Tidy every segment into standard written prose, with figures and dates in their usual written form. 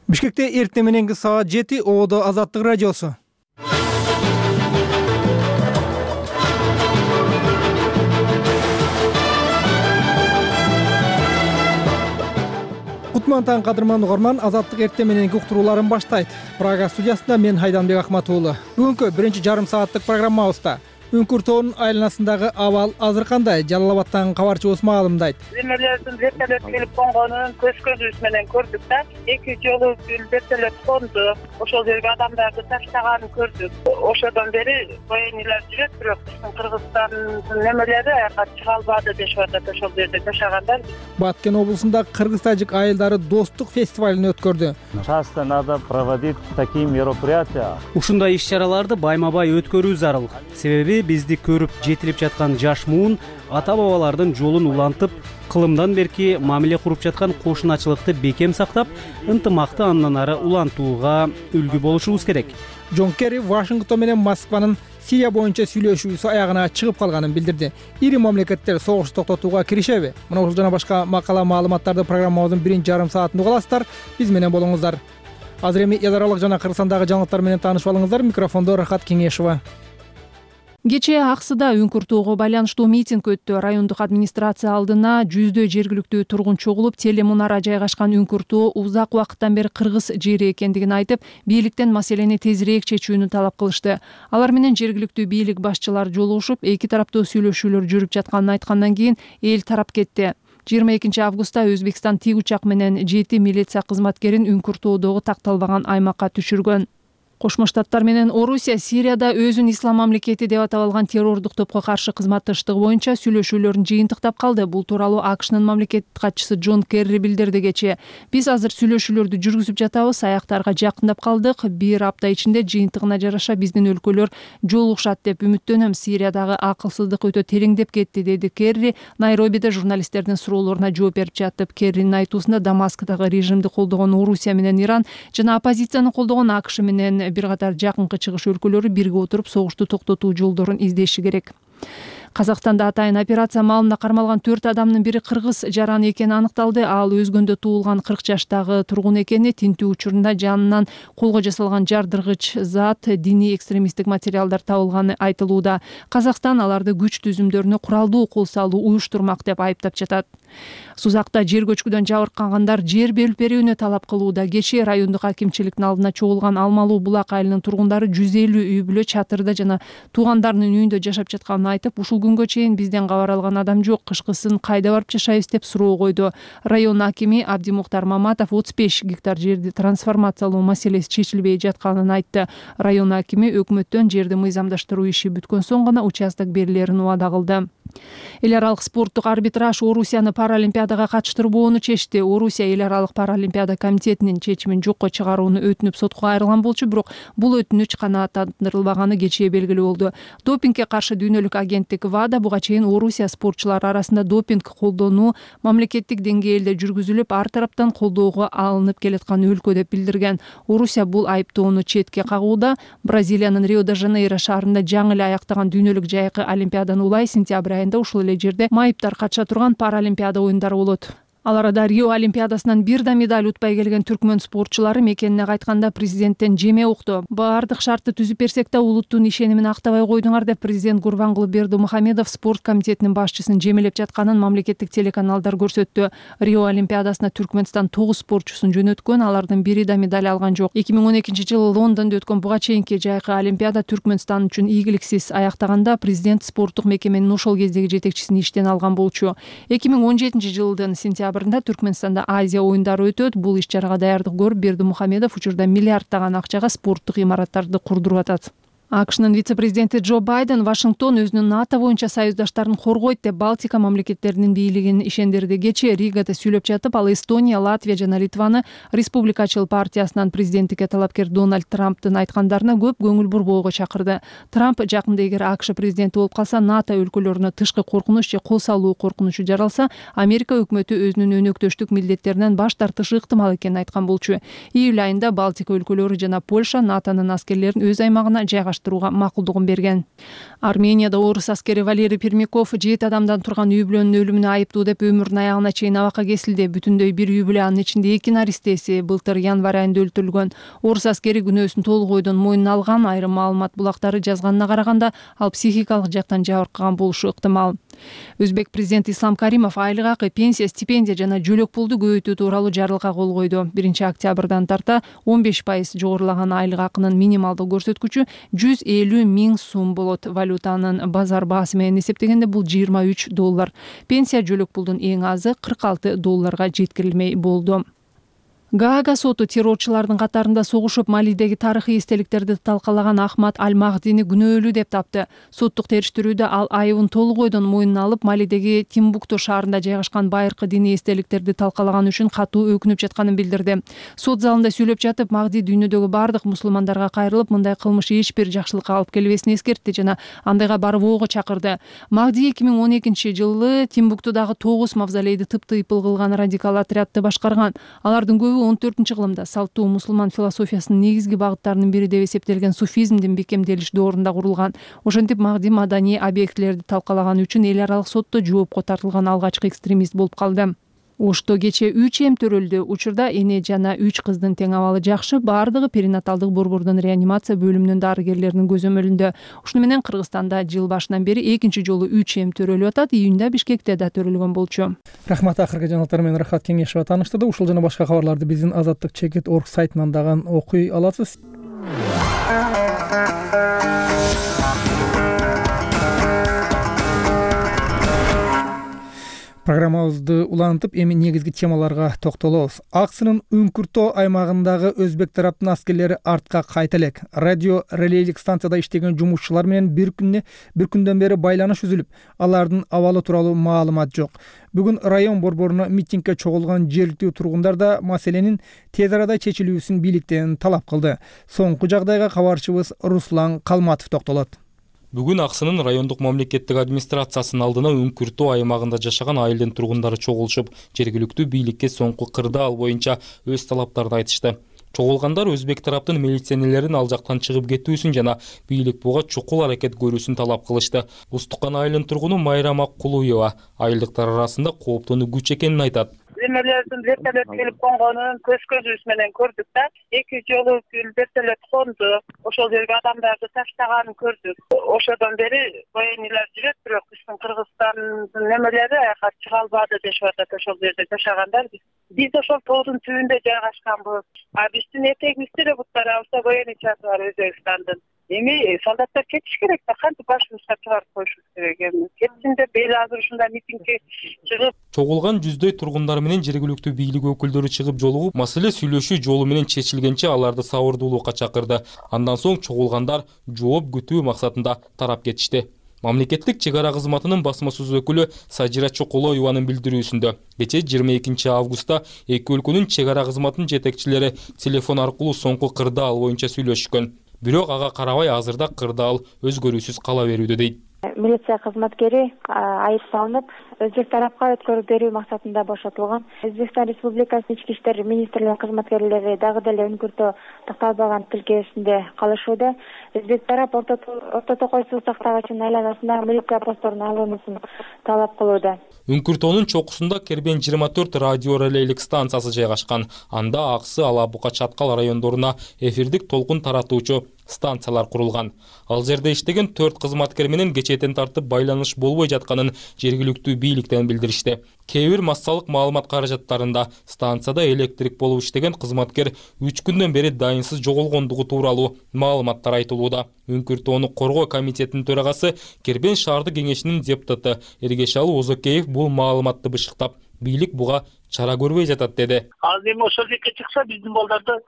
Бишкекте эртең мененки саат 7 ООД Азаттык радиосу. Кутман таң кадырман угарман, Азаттык эртең мененки уктурууларын баштайт. Прага студиясында мен Хайданбек Акмат уулу. Бүгүнкү биринчи жарым сааттык программабызда Үңкүр тоонун айланасындагы абал азыр кандай? Жалал Абадтан кабарчыбыз маалымдайт. Земелердин вертолет келип конгонун көзүбүз менен көрдүк да. 2 жолу вертолет конду. Ошол жерге адамдарды таштаганын көрдүк. Ошодон бери военныйлар жүрөт, бирок биздин Кыргызстандын немелери аяка чыга албады дешип атат. Ошол жерде жашагандар. Баткен облусунда кыргыз-тажик айылдары достук фестивалын өткөрдү. Часто надо проводить такие мероприятия. Ушундай иш-чараларды байма-бай өткөрүү зарыл. Себеби бизди көрүп жетилип жаткан жаш муун ата-бабалардын жолун улантып, кылымдан берки мамиле куруп жаткан кошуначылыкты бекем сактап, ынтымакты андан ары улантууга үлгү болушубуз керек. Джон Керри Вашингтон менен Москванын Сирия боюнча сүйлөшүүсү аягына чыгып калганын билдирди. Ири мамлекеттер согушту токтотууга киришеби? Мына ушул жана башка макала маалыматтарды программабыздын биринчи жарым саатында угаласыздар. Биз менен болуңуздар. Азыр эми эл аралык жана Кыргызстандагы жаңылыктар менен таанышып алыңыздар. Микрофондо Рахат Кеңешова. Кечээ Аксыда Үңкүр тоого байланыштуу митинг өттү. Райондук администрация алдына жүздөй жергиликтүү тургун чогулуп, телемунара жайгашкан Үңкүр тоо узак убакыттан бери кыргыз жери экендигин айтып, бийликтен маселени тезирээк чечүүнү талап кылышты. Алар менен жергиликтүү бийлик башчылары жолугушуп, эки тараптуу сүйлөшүүлөр жүрүп жатканын айткандан кийин эл тарап кетти. 22 августта Өзбекстан тик учак менен 7 милиция кызматкерин Үңкүр тоодогу такталбаган аймакка түшүргөн. Кошмо Штаттар менен Орусия Сирияда өзүн ислам мамлекети деп атап алган террордук топко каршы кызматташтыгы боюнча сүйлөшүүлөрүн жыйынтыктап калды. Бул тууралуу АКШнын мамлекеттик катчысы Джон Керри билдирди кечээ. Биз азыр сүйлөшүүлөрдү жүргүзүп жатабыз, аяктарга жакындап калдык. Бир апта ичинде жыйынтыгына жараша биздин өлкөлөр жолугушат деп үмүттөнөм. Сириядагы акылсыздык өтө тереңдеп кетти, деди Керри Найробиде журналисттердин суроолоруна жооп берип жатып. Керринин айтуусунда Дамаскдагы режимди колдогон Орусия менен Иран жана оппозицияны колдогон АКШ менен бир катар жакынкы чыгыш өлкөлөрү бирге отуруп согушту токтотуу жолдорун издеши керек. Казакстанда атайын операция маалында кармалган 4 адамдын бири кыргыз жараны экени аныкталды. Ал өзгөндө туулган 40 жаштагы тургун экени, тинтүү учурунда жанынан колго жасалган жардыргыч зат, диний экстремисттик материалдар табылганы айтылууда. Казакстан аларды күч түзүмдөрүнө куралдуу кол салуу уюштурмак деп айыптап жатат. Сузакта жер көчкүдөн жабыркагандар жер берип берүүнү талап кылууда. Кечээ райондук акимчиликтин алдына чогулган Алмалуу Булак айылынын тургундары 150 үй бүлө чатырда жана туугандарынын үйүндө жашап жатканын айтып, ушул күнгө чейин бизден кабар алган адам жок, кышкысын кайда барып жашайбыз деп суроо койду. Район акими Абдимухтар Маматов 35 гектар жерди трансформациялоо маселеси чечилбей жатканын айтты. Район акими өкмөттөн жерди мыйзамдаштыруу иши бүткөн соң гана участок берилерин убада кылды. Эл аралык спорттук арбитраж Орусияны Паралимпиадага катыштырбоону чечти. Орусия Эл аралык Паралимпиада комитетинин чечимин жокко чыгарууну өтүнүп сотко кайрылган болчу, бирок бул өтүнүч канааттандырылбаганы кечээ белгилүү болду. Допингге каршы дүйнөлүк агенттик ВАДА буга чейин Орусия спортчулары арасында допинг колдонуу мамлекеттик деңгээлде жүргүзүлүп, ар тараптан колдоого алынып келаткан өлкө деп билдирген. Орусия бул айыптоону четке кагууда. Бразилиянын Рио-де-Жанейро шаарында жаңы эле аяктаган дүйнөлүк жайкы олимпиаданын улай сентябрь айында ушул эле жерде майыптар катыша турган Паралимпиада оюндары болот. Ал арада Рио олимпиадасынан бир да медаль утпай келген түркмөн спортчулары мекенине кайтканда президенттен жеме укту. Баардык шартты түзүп берсек да улуттун ишенимин актабай койдуңар деп президент Гурбангулы Бердымухамедов спорт комитетинин башчысын жемелеп жатканын мамлекеттик телеканалдар көрсөттү. Рио олимпиадасына Түркмөнстан 9 спортчусун жөнөткөн, алардын бири да медаль алган жок. 2012-жылы Лондондо өткөн буга чейинки жайкы олимпиада Түркмөнстан үчүн ийгиликсиз аяктаганда президент спорттук мекеменин ошол кездеги жетекчисин иштен алган болчу. 2017-жылдын сентябрында Түркмөнстанда Азия оюндары өтөт. Бул иш-чарага даярдык көрүп Бердымухамедов учурда миллиарддаган акчага спорттук имараттарды курдуруп атат. АКШнын вице-президенти Джо Байден Вашингтон өзүнүн НАТО боюнча союздаштарын коргойт деп Балтика мамлекеттеринин бийлигин ишендирди. Кечээ Ригада сүйлөп жатып, ал Эстония, Латвия жана Литваны Республикачыл партиясынан президенттикке талапкер Дональд Трамптын айткандарына көп көңүл бурбоого чакырды. Трамп жакында эгер АКШ президенти болуп калса, НАТО өлкөлөрүнө тышкы коркунуч же кол салуу коркунучу жаралса, Америка өкмөтү өзүнүн өнөктөштүк милдеттеринен баш тартышы ыктымал экенин айткан болчу. Июль айында Балтика өлкөлөрү жана Польша НАТОнун аскерлерин өз аймагына жайгаштырды. алмаштырууга макулдугун берген. Арменияда орус аскери Валерий Пермяков 7 адамдан турган үй бүлөнүн өлүмүнө айыптуу деп өмүрүнүн аягына чейин абакка кесилди. Бүтүндөй бир үй бүлө, анын ичинде 2 наристеси былтыр январь айында өлтүрүлгөн. Орус аскери күнөөсүн толук ойдон мойнуна алган. Айрым маалымат булактары жазганына караганда ал психикалык жактан жабыркаган болушу ыктымал. Өзбек президенти Ислам Каримов айлык акы, пенсия, стипендия жана жөлөк пулду көбөйтүү тууралуу жарлыкка кол койду. 1-октябрдан тарта 15% жогорулаган айлык акынын минималдык көрсөткүчү 150 000 сом болот. Валютанын базар баасы менен эсептегенде бул $23. Пенсия жөлөк пулдун эң азы $46 жеткирилмей болду. Гаага соту террорчулардын катарында согушуп Малидеги тарыхый эстеликтерди талкалаган Ахмад Аль-Махдини күнөөлүү деп тапты. Соттук териштирүүдө ал айыбын толук ойдон мойнуна алып, Малидеги Тимбукту шаарында жайгашкан байыркы диний эстеликтерди талкалаган үчүн катуу өкүнүп жатканын билдирди. Сот залында сүйлөп жатып, Махди дүйнөдөгү бардык мусулмандарга кайрылып, мындай кылмыш эч бир жакшылыкка алып келбесин эскертти жана андайга барбоого чакырды. Махди 2012-жылы Тимбуктудагы 9 мавзолейди тыптыйпыл кылган радикал отрядты башкарган. Алардын көбү 14-кылымда салттуу мусулман философиясынын негизги багыттарынын бири деп эсептелген суфизмдин бекемделиш доорунда курулган. Ошентип Махди маданий объектилерди талкалаган үчүн эл аралык сотто жоопко тартылган алгачкы экстремист болуп калды. Ошто кече 3 эм төрөлдү. Учурда эне жана 3 кыздын тең абалы жакшы, баардыгы перинаталдык борбордун реанимация бөлүмүнүн дарыгерлеринин көзөмөлүндө. Ушуну менен Кыргызстанда жыл башынан бери экинчи жолу 3 эм төрөлүп атат. Июнда Бишкекте да төрөлгөн болчу. Рахмат, акыркы жаңылыктар менен Рахат Кеңешова тааныштырды. Ушул жана башка кабарларды биздин Азаттык Чекит.org сайтынан дагы окуй аласыз. Программабызды улантып, эми негизги темаларга токтолобуз. Аксынын Үңкүртөө аймагындагы өзбек тараптын аскерлери артка кайта элек. Радио релейлик станцияда иштеген жумушчулар менен бир күндөн бери байланыш үзүлүп, алардын абалы тууралуу маалымат жок. Бүгүн район борборуна митингге чогулган жергиликтүү тургундар да маселенин тез арада чечилүүсүн бийликтен талап кылды. Соңку жагдайга кабарчыбыз Руслан Калматов токтолот. Бүгүн Аксынын райондук мамлекеттик администрациясынын алдына Үңкүртөө аймагында жашаган айылдын тургундары чогулушуп, жергиликтүү бийликке соңку кырдаал боюнча өз талаптарын айтышты. Чогулгандар өзбек тараптын милиционерлерин ал жактан чыгып кетүүсүн жана бийлик буга чукул аракет көрүүсүн талап кылышты. Устукан айылынын тургуну Майрам Аккулуева айылдыктар арасында кооптууну күч экенин айтат. Земелердин вертолет келип конгонун көзүбүз менен көрдүк да. 2 жолу вертолет конду. Ошол жерге адамдарды таштаганын көрдүк. Ошодон бери военныйлар жүрөт, бирок биздин Кыргызстандын немелери аяка чыга албады дешип атат. Ошол жерде жашагандар биз ошол тоодун түбүндө жайгашканбыз. Биздин этегибизде эле буттарабызда военный чаты бар Өзбекстандын. Эми солдаттар кетиш керек да, кантип башыбызга чыгарып коюшубуз керек эми. Кетсин деп эл азыр ушундай митингге чыгып. Чогулган жүздөй тургундар менен жергиликтүү бийлик өкүлдөрү чыгып жолугуп, маселе сүйлөшүү жолу менен чечилгенче аларды сабырдуулукка чакырды. Андан соң чогулгандар жооп күтүү максатында тарап кетишти. Мамлекеттик чек ара кызматынын басма сөз өкүлү Сажира Чокулоеванын билдирүүсүндө кече 22 августта эки өлкөнүн чек ара кызматынын жетекчилери телефон аркылуу соңку кырдаал боюнча сүйлөшкөн. Бирок ага карабай азырда кырдаал өзгөрүүсүз кала берүүдө дейт. Милиция кызматкери айыпталынып, өзбек тарапка өткөрүп берүү максатында бошотулган. Өзбекстан Республикасынын ички иштер министрлигинин кызматкерлери дагы деле Үңкүртөө такталбаган тилкеесинде калышууда. Өзбек тарап Орто Токой суу сактагычынын айланасына милиция постторун алуусун талап кылууда. Үңкүртөөнүн чокусунда Кербен 24 радио релейлик станциясы жайгашкан. Анда Аксы, Алабука, Чаткал райондоруна эфирдик толкун таратуучу станциялар курулган. Ал жерде иштеген 4 кызматкер менен кечетен тартып байланыш болбой жатканын жергиликтүү бийликтен билдиришти. Кээ бир массалык маалымат каражаттарында станцияда электрик болуп иштеген кызматкер 3 күндөн бери дайынсыз жоголгондугу тууралуу маалыматтар айтылууда. Үңкүртөөну коргоо комитетинин төрагасы Кербен шаардык кеңешинин депутаты Эргешалы Озокеев бул маалыматты бышыктап, бийлик буга чара көрбөй жатат деди. Азыр эми ошол жакка чыкса биздин балдарды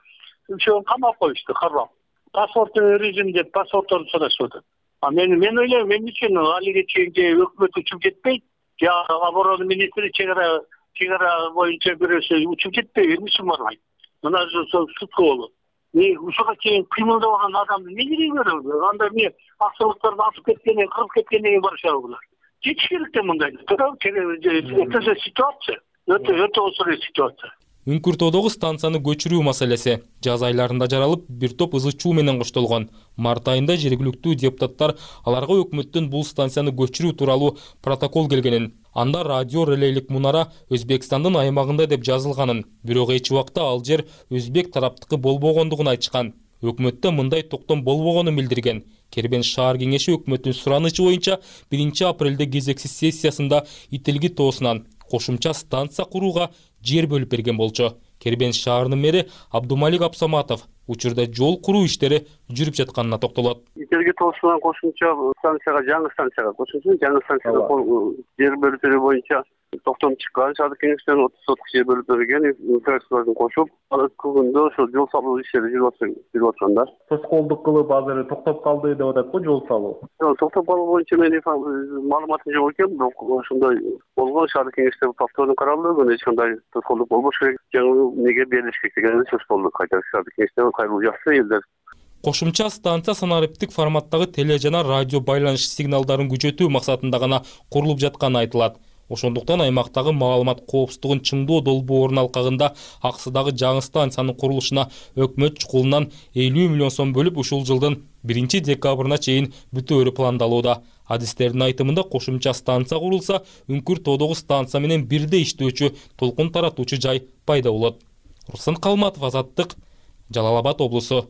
үчөөнү камап коюшту, карап. Паспорт режим деп паспортторду сурашып атат. Мен ойлойм, эмне үчүн алиге чейин өкмөт учуп кетпейт, же оборона министри чек ара боюнча бирөөсү учуп кетпейби, эмне үчүн барбайт? Мына сутка болот. Ушуга чейин кыймылдабаган адамды эмне кереги бар? Анда эмне аксылыктарды атып кеткенден, кырып кеткенден кийин барышабы булар? Жетиш керек да мындай. Ситуация. Өтө осур ситуация. Үңкүртөдөгү станцияны көчүрүү маселеси жаз айларында жаралып, бир топ ызы чуу менен коштолгон. Март айында жергиликтүү депутаттар аларга өкмөттөн бул станцияны көчүрүү тууралуу протокол келгенин, анда радио релейлик мунара Өзбекстандын аймагында деп жазылганын, бирок эч убакта ал жер өзбек тараптыкы болбогондугун айтышкан. Өкмөттө мындай токтом болбогонун билдирген. Кербен шаар кеңеши өкмөттүн суранычы боюнча 1 апрелде кезексиз сессиясында Ителги тоосунан кошумча станция курууга жер бөлүп берген болчу. Кербен шаарынын мэри Абдумалик Абсаматов учурда жол куруу иштери жүрүп жатканына токтолот. Ителги тоосунан кошумча станцияга, жаңы станцияга кошумча жаңы станцияга жер бөлүп берүү боюнча токтом чыккан. Шаардык кеңештен 30 соток жер бөлүп берген, инфраструктураларды кошуп, күндө ошо жол салуу иштери жүрүп атканда. Тоскоолдук кылып азыр токтоп калды деп атат го жол салуу. Токтоп калуу боюнча менин маалыматым жок экен, бирок ошондой болгон. Шаардык кеңеште повторно каралды, эч кандай тоскоолдук болбош керек. Жаңы неге берилиш керек деген сөз болду. Кайта шаардык кеңеште кайрылуу жакшы элдер. Кошумча станция санариптик форматтагы теле жана радио байланыш сигналдарын күчөтүү максатында гана курулуп жатканы айтылат. Ошондуктан аймактагы маалымат коопсуздугун чыңдоо долбоорунун алкагында Аксыдагы жаңы станциянын курулушуна өкмөт чукулунан 50 миллион сом бөлүп ушул жылдын 1 декабрына чейин бүтөөрү пландалууда. Адистердин айтымында кошумча станция курулса, Үңкүртөдөгү станция менен бирдей иштөөчү толкун таратуучу жай пайда болот. Руслан Калматов, Азаттык, Жалал Абад облусу.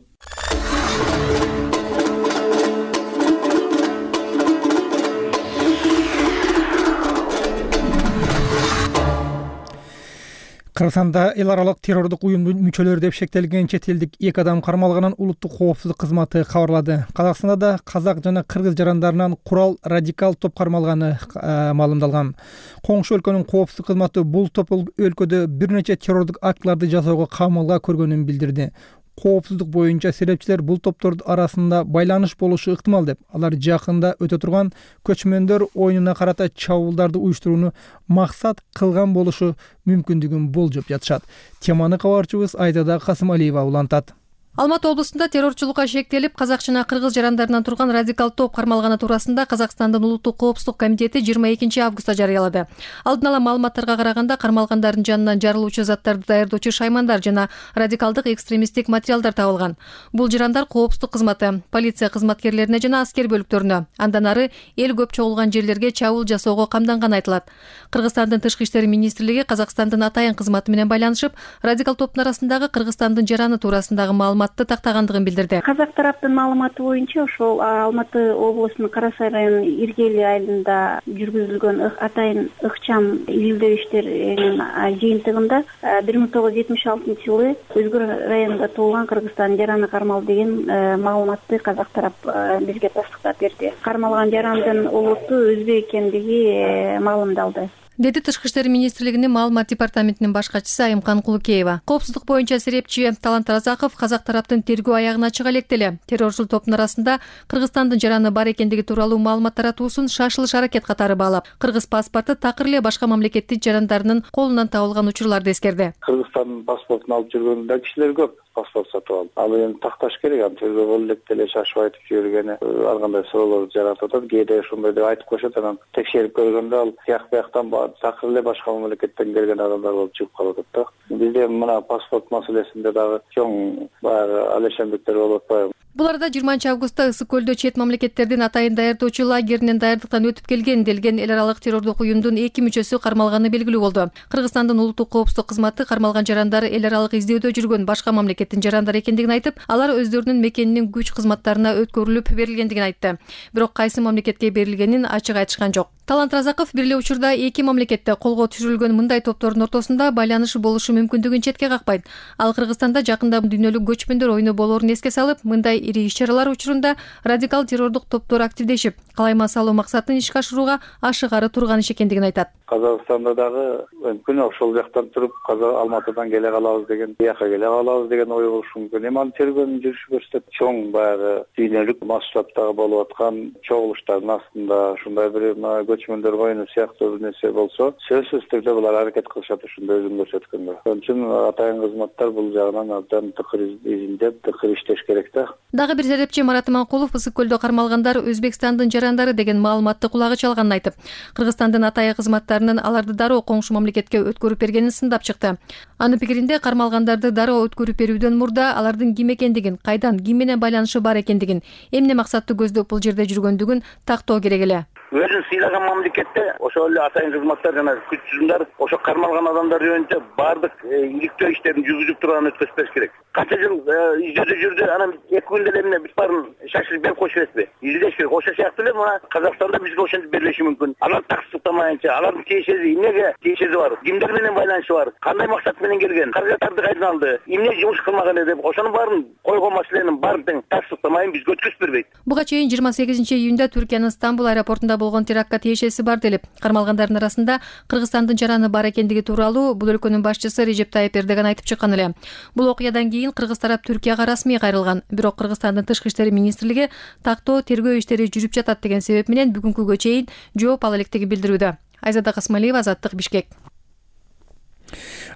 Кыргызстанда эл аралык террордук уюмдун мүчөлөрү деп шектелген чет элдик 2 адам кармалганын улуттук коопсуздук кызматы кабарлады. Казакстанда да казак жана кыргыз жарандарынан курал радикал топ кармалганы маалымдалган. Коңшу өлкөнүн коопсуздук кызматы бул топ өлкөдө бир нече террордук актыларды жасоого камалга көргөнүн билдирди. Коопсуздук боюнча серепчилер бул топтордун арасында байланыш болушу ыктымал деп, алар жакында өтө турган көчмөндөр оюнуна карата чабуулдарды уюштурууну максат кылган болушу мүмкүндүгүн болжоп жатышат. Теманы кабарчыбыз Айзада Касымалиева улантат. Алматы облусунда террорчулукка шектелип, казак жана кыргыз жарандарынан турган радикал топ кармалганы туурасында Казакстандын улуттук коопсуздук комитети 22 августта жарыялады. Алдын ала маалыматтарга караганда кармалгандардын жанынан жарылуучу заттарды даярдоочу шаймандар жана радикалдык экстремисттик материалдар табылган. Бул жарандар коопсуздук кызматы, полиция кызматкерлерине жана аскер бөлүктөрүнө, андан ары эл көп чогулган жерлерге чабуул жасоого камданганы айтылат. Кыргызстандын тышкы иштер министрлиги Казакстандын атайын кызматы менен байланышып, радикал топтун арасындагы Кыргызстандын жараны туурасындагы маалыматты тактагандыгын билдирди. Казак тараптын маалыматы боюнча ошол Алматы облусунун Кара Сай районунун Иргели айылында жүргүзүлгөн атайын ыкчам изилдөө иштеринин жыйынтыгында 1976 жылы Өзгөр районунда туулган Кыргызстандын жараны кармалды деген маалыматты казак тарап бизге тастыктап берди. Кармалган жарандын улуту өзбек экендиги маалымдалды, деди Тышкы иштер министрлигинин маалымат департаментинин баш катчысы Айымкан Кулукеева. Коопсуздук боюнча серепчи Талант Разаков казак тараптын тергөө аягына чыга элек эле террорчул топтун арасында Кыргызстандын жараны бар экендиги тууралуу маалымат таратуусун шашылыш аракет катары баалап, кыргыз паспорту такыр эле башка мамлекеттин жарандарынын колунан табылган учурларды эскерди. Кыргызстандын паспортун алып жүргөн да кишилер көп. Паспорт сатып алып. Ал эми такташ керек, аны тергөө элек деле шашып айтып жибергени ар кандай суроолор жаратып атат. Кээде ошондой деп айтып коюшат, анан текшерип көргөндө ал бияктан такыр эле башка мамлекеттен келген адамдар болуп чыгып калып атат да. Бизде мына паспорт маселесинде дагы чоң баягы алешендиктер болуп атпайбы? Бул арада 20 августта Ысык көлдө чет мамлекеттердин атайын даярдоочу лагеринен даярдыктан өтүп келген делген эл аралык террордук уюмдун 2 мүчөсү кармалганы белгилүү болду. Кыргызстандын улуттук коопсуздук кызматы кармалган жарандар эл аралык издөөдө жүргөн башка мамлекеттин жарандары экендигин айтып, алар өздөрүнүн мекенинин күч кызматтарына өткөрүлүп берилгендигин айтты. Бирок кайсы мамлекетке берилгенин ачык айтышкан жок. Талант Разаков бир эле учурда 2 мамлекетте колго түшүрүлгөн мындай топтордун ортосунда байланыш болушу мүмкүндүгүн четке какпайт. Ал Кыргызстанда жакында дүйнөлүк көчмөндөр оюну болоорун эске салып, мындай ири иш-чаралар учурунда радикал террордук топтор активдешип, калайма салуу максатын ишке ашырууга ашыгары турган иш экендигин айтат. Казакстанда дагы мүмкүн ошол жактан туруп Алматыдан келе калабыз деген, бияка келе калабыз деген ой болушу мүмкүн. Эми аны тергөөнүн жүрүшү көрсөтөт. Чоң баягы дүйнөлүк масштабтагы болуп аткан чогулуштардын астында ушундай бир көчмөндөр коюну сыяктуу бир нерсе болсо, сөзсүз түрдө булар аракет кылышат ушундай өзүн көрсөткөнгө. Ошон үчүн атайын кызматтар бул жагынан абдан тыкыр изилдеп, тыкыр иштеш керек да. Дагы бир серепчи Марат Иманкулов ысык көлдө кармалгандар Өзбекстандын жарандары деген маалыматты кулагы чалганын айтып, Кыргызстандын атайын кызматтарынын аларды дароо коңшу мамлекетке өткөрүп бергенин сындап чыкты. Анын пикиринде кармалгандарды дароо өткөрүп берүүдөн мурда алардын ким экендигин, кайдан, ким менен байланышы бар экендигин, эмне максатты көздөп бул жерде жүргөндүгүн тактоо керек эле. Өзүн сыйлаган мамлекетте ошол эле атайын кызматтар жана күч тузумдар ошо кармалган адамдар жөнүндө баардык иликтөө иштерин жүргүзүп турган өткөзүп бериш керек. Канча жыл издөөдө жүрдү, анан 2 күндө эле эмне бүт баарын шашырып берип коюш эмеспи? Издеш керек. Ошол сыяктуу эле мына Казакстанда бизге ошентип берилиши мүмкүн. Алар таксыктамайынча, алардын тиешеси эмнеге тиешеси бар? Кимдер менен байланышы бар? Кандай максат менен келген? Каражаттарды кайдан алды? Эмне жумуш кылмаган эле деп ошонун баарын койгон маселенин баарын тең таксыктамайын бизге өткөзүп бербейт. Буга чейин 28-июнда Түркиянын Стамбул аэропортунда болгон терактка тиешеси бар делип, кармалгандардын арасында Кыргызстандын жараны бар экендиги тууралуу бул өлкөнүн башчысы Режеп Тайып Эрдоган айтып чыккан эле. Бул окуядан кийин кыргыз тарап Түркияга расмий кайрылган. Бирок Кыргызстандын тышкы иштери министрлиги тактоо тергөө иштери жүрүп жатат деген себеп менен бүгүнкүгө чейин жооп ала электигин билдирүүдө. Айзада Касмалиева, Азаттык, Бишкек.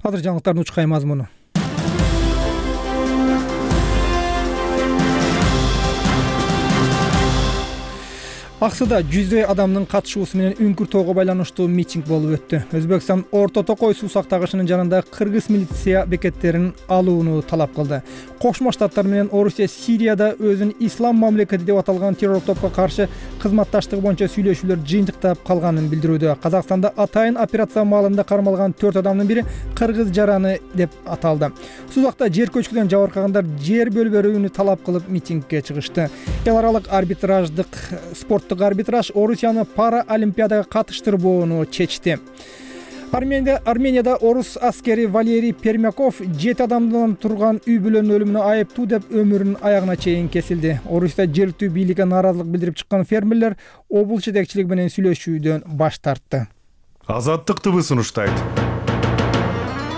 Азыр жаңылыктардын учкай мазмуну. Аксыда жүздөй адамдын катышуусу менен үңкүр байланыштуу митинг болуп өттү. Өзбекстан Орто Токой суу сактагычынын жанында кыргыз милиция бекеттерин алууну талап кылды. Кошмо Штаттар менен Орусия Сирияда өзүн ислам мамлекети деп аталган террор топко каршы кызматташтыгы боюнча сүйлөшүүлөр жыйынтыктап калганын билдирүүдө. Казакстанда атайын операция маалында кармалган 4 адамдын бири кыргыз жараны деп аталды. Сузакта жер көчкүдөн жабыркагандар жер бөлүп берүүнү талап кылып митингге чыгышты. Эл аралык арбитраждык спорттук арбитраж Орусияны пара олимпиадага катыштырбоону чечти. Арменияда орус аскери Валерий Пермяков 7 адамдан турган үй бүлөнүн өлүмүнө айыптуу деп өмүрүнүн аягына чейин кесилди. Орусияда жергиликтүү бийликке нааразылык билдирип чыккан фермерлер облус жетекчилиги менен сүйлөшүүдөн баш тартты. Азаттык ТВ сунуштайт.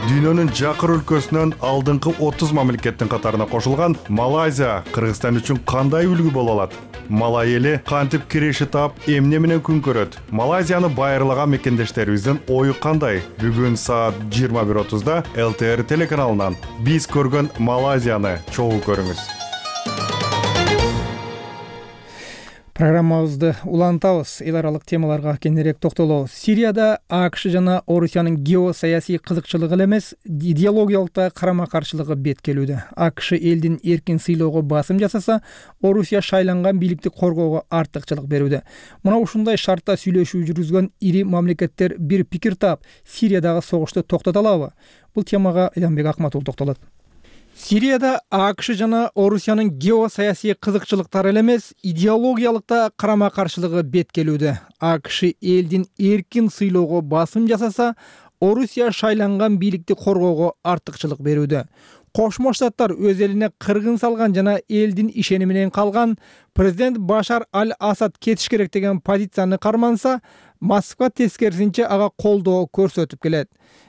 Дүйнөнүн жакыр өлкөсүнөн алдыңкы 30 мамлекеттин катарына кошулган Малайзия Кыргызстан үчүн кандай үлгү боло алат? Малай эли кантип киреше таап, эмне менен күн көрөт? Малайзияны байырлаган мекендештерибиздин ою кандай? Бүгүн саат 21:30да ЛТР телеканалынан биз көргөн Малайзияны чогуу көрүңүз. Программабызды улантабыз. Эл аралык темаларга кененирээк токтолобуз. Сирияда АКШ жана Орусиянын геосаясий кызыкчылыгы эле эмес, идеологиялык да карама-каршылыгы бет келүүдө. АКШ элдин эркин сыйлоого басым жасаса, Орусия шайланган бийликти коргоого артыкчылык берүүдө. Мына ушундай шартта сүйлөшүү жүргүзгөн ири мамлекеттер бир пикир таап, Сириядагы согушту токтото алабы? Бул темага Элянбек Акматул токтолот. Сирияда АКШ жана Орусиянын геосаясий кызыкчылыктары эле эмес, идеологиялык да карама-каршылыгы бет келүүдө. АКШ элдин эркин сыйлоого басым жасаса, Орусия шайланган бийликти коргоого артыкчылык берүүдө. Кошмо Штаттар өз элине кыргын салган жана элдин ишени менен калган президент Башар аль-Асад кетиш керек деген позицияны карманса, Москва тескерисинче ага колдоо көрсөтүп келет.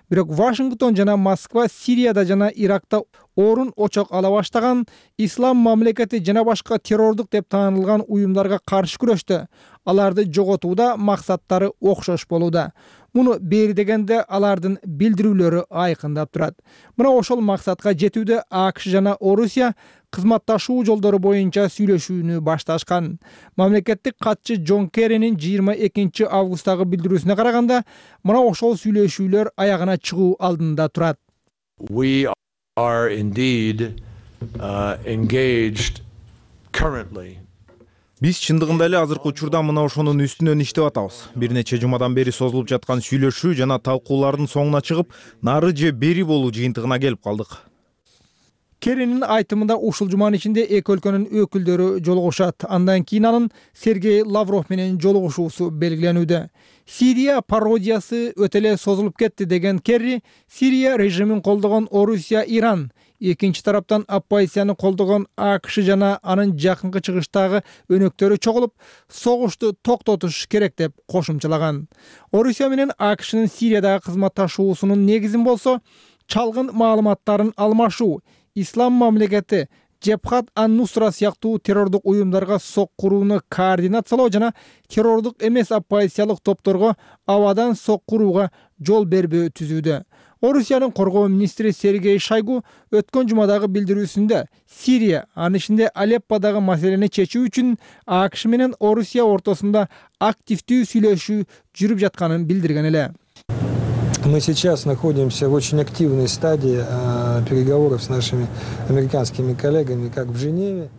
Бирок Вашингтон жана Москва Сирияда жана Иракта орун очок ала баштаган ислам мамлекети жана башка террордук деп таанылган уюмдарга каршы күрөштө. Аларды жоготууда максаттары окшош болууда. Муну бери дегенде алардын билдирүүлөрү айкындап турат. Мына ошол максатка жетүүдө АКШ жана Орусия кызматташуу жолдору боюнча сүйлөшүүнү башташкан. Мамлекеттик катчы Джон Керринин 22 августтагы билдирүүсүнө караганда, мына ошол сүйлөшүүлөр аягына чыгуу алдында турат. We are indeed engaged currently. Биз чындыгында эле азыркы учурда мына ошонун үстүнөн иштеп атабыз. Бир нече жумадан бери созулуп жаткан сүйлөшүү жана талкуулардын соңуна чыгып, нары же бери болуу жыйынтыгына келип калдык. Керринин айтымында ушул жуманын ичинде эки өлкөнүн өкүлдөрү жолугушат. Андан кийин анын Сергей Лавров менен жолугушуусу белгиленүүдө. Сирия пародиясы өтө эле созулуп кетти деген Керри, Сирия режимин колдогон Орусия, Иран, экинчи тараптан оппозицияны колдогон АКШ жана анын жакынкы чыгыштагы өнөктөрү чогулуп, согушту токтотуш керек деп кошумчалаган. Орусия менен АКШнын Сириядагы кызматташуусунун негизин болсо, чалгын маалыматтарын алмашуу, ислам мамлекети, Жебхат ан-Нусра сыяктуу террордук уюмдарга сок курууну координациялоо жана террордук эмес оппозициялык топторго абадан сок курууга жол бербөө түзүүдө. Орусиянын коргоо министри Сергей Шойгу өткөн жумадагы билдирүүсүндө Сирия, анын ичинде Алепподагы маселени чечүү үчүн АКШ менен Орусия ортосунда активдүү сүйлөшүү жүрүп жатканын билдирген эле. Мы сейчас находимся в очень активной стадии переговоров с нашими американскими коллегами как в Женеве,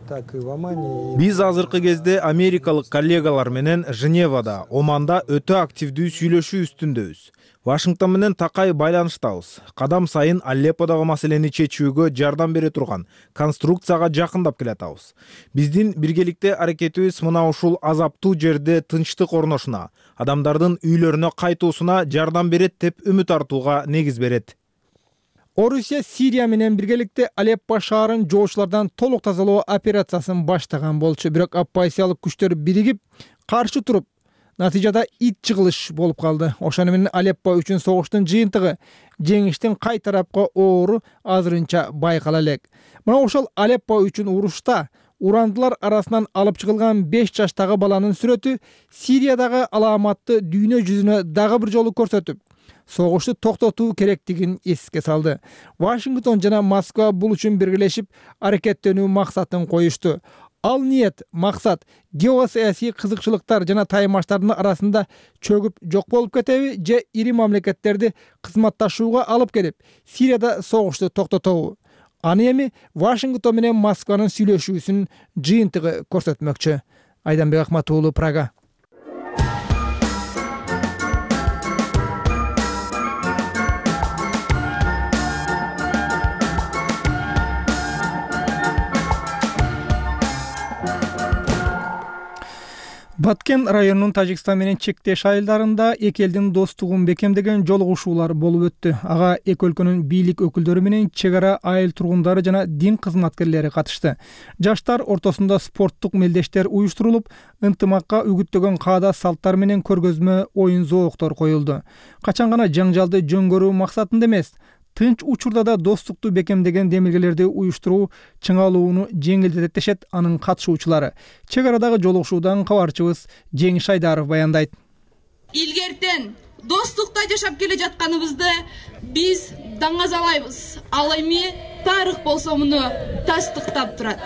так и в Омане. Биз азыркы кезде америкалык коллегалар менен Женевада, Оманда өтө активдүү сүйлөшүү үстүндөбүз. Вашингтон менен такай байланыштабыз. Кадам сайын Алепподагы маселени чечүүгө жардам бере турган конструкцияга жакындап келатабыз. Биздин биргеликте аракетибиз мына ушул азаптуу жерде тынчтык орношуна, адамдардын үйлөрүнө кайтуусуна жардам берет деп үмүт артууга негиз берет. Орусия Сирия менен биргеликте Алеппо шаарын жоочулардан толук тазалоо операциясын баштаган болчу, бирок оппозициялык күчтөр биригип каршы туруп, натыйжада ит чыгылыш болуп калды. Ошону менен Алеппо үчүн согуштун жыйынтыгы жеңиштин кай тарапка оору азырынча байкала элек. Мына ошол Алеппо үчүн урушта урандылар арасынан алып чыгылган 5 жаштагы баланын сүрөтү Сириядагы алааматты дүйнө жүзүнө дагы бир жолу көрсөтүп, согушту токтотуу керектигин эске салды. Вашингтон жана Москва бул үчүн биргелешип аракеттенүү максатын коюшту. Ал ниет, максат геосаясий кызыкчылыктар жана таймаштардын арасында чөгүп жок болуп кетеби же ири мамлекеттерди кызматташууга алып келип, Сирияда согушту токтотобу? Аны эми Вашингтон менен Москванын сүйлөшүүсүнүн жыйынтыгы көрсөтмөкчү. Айданбек Акмат уулу, Прага. Баткен районунун Тажикстан менен чектеш айылдарында эки элдин достугун бекемдеген жолугушуулар болуп өттү. Ага эки өлкөнүн бийлик өкүлдөрү менен чек ара айыл тургундары жана дин кызматкерлери катышты. Жаштар ортосунда спорттук мелдештер уюштурулуп, ынтымакка үгүттөгөн каада салттар менен көргөзмө оюн зооктор коюлду. Качан гана жаңжалды жөн көрүү максатында эмес, тынч учурда да достукту бекемдеген демилгелерди уюштуруу чыңалууну жеңилдетет дешет анын катышуучулары. Чек арадагы жолугушуудан кабарчыбыз Жеңиш Айдаров баяндайт. Илгертен достукта жашап келе жатканыбызды биз даңазалайбыз. Ал эми тарых болсо муну тастыктап турат.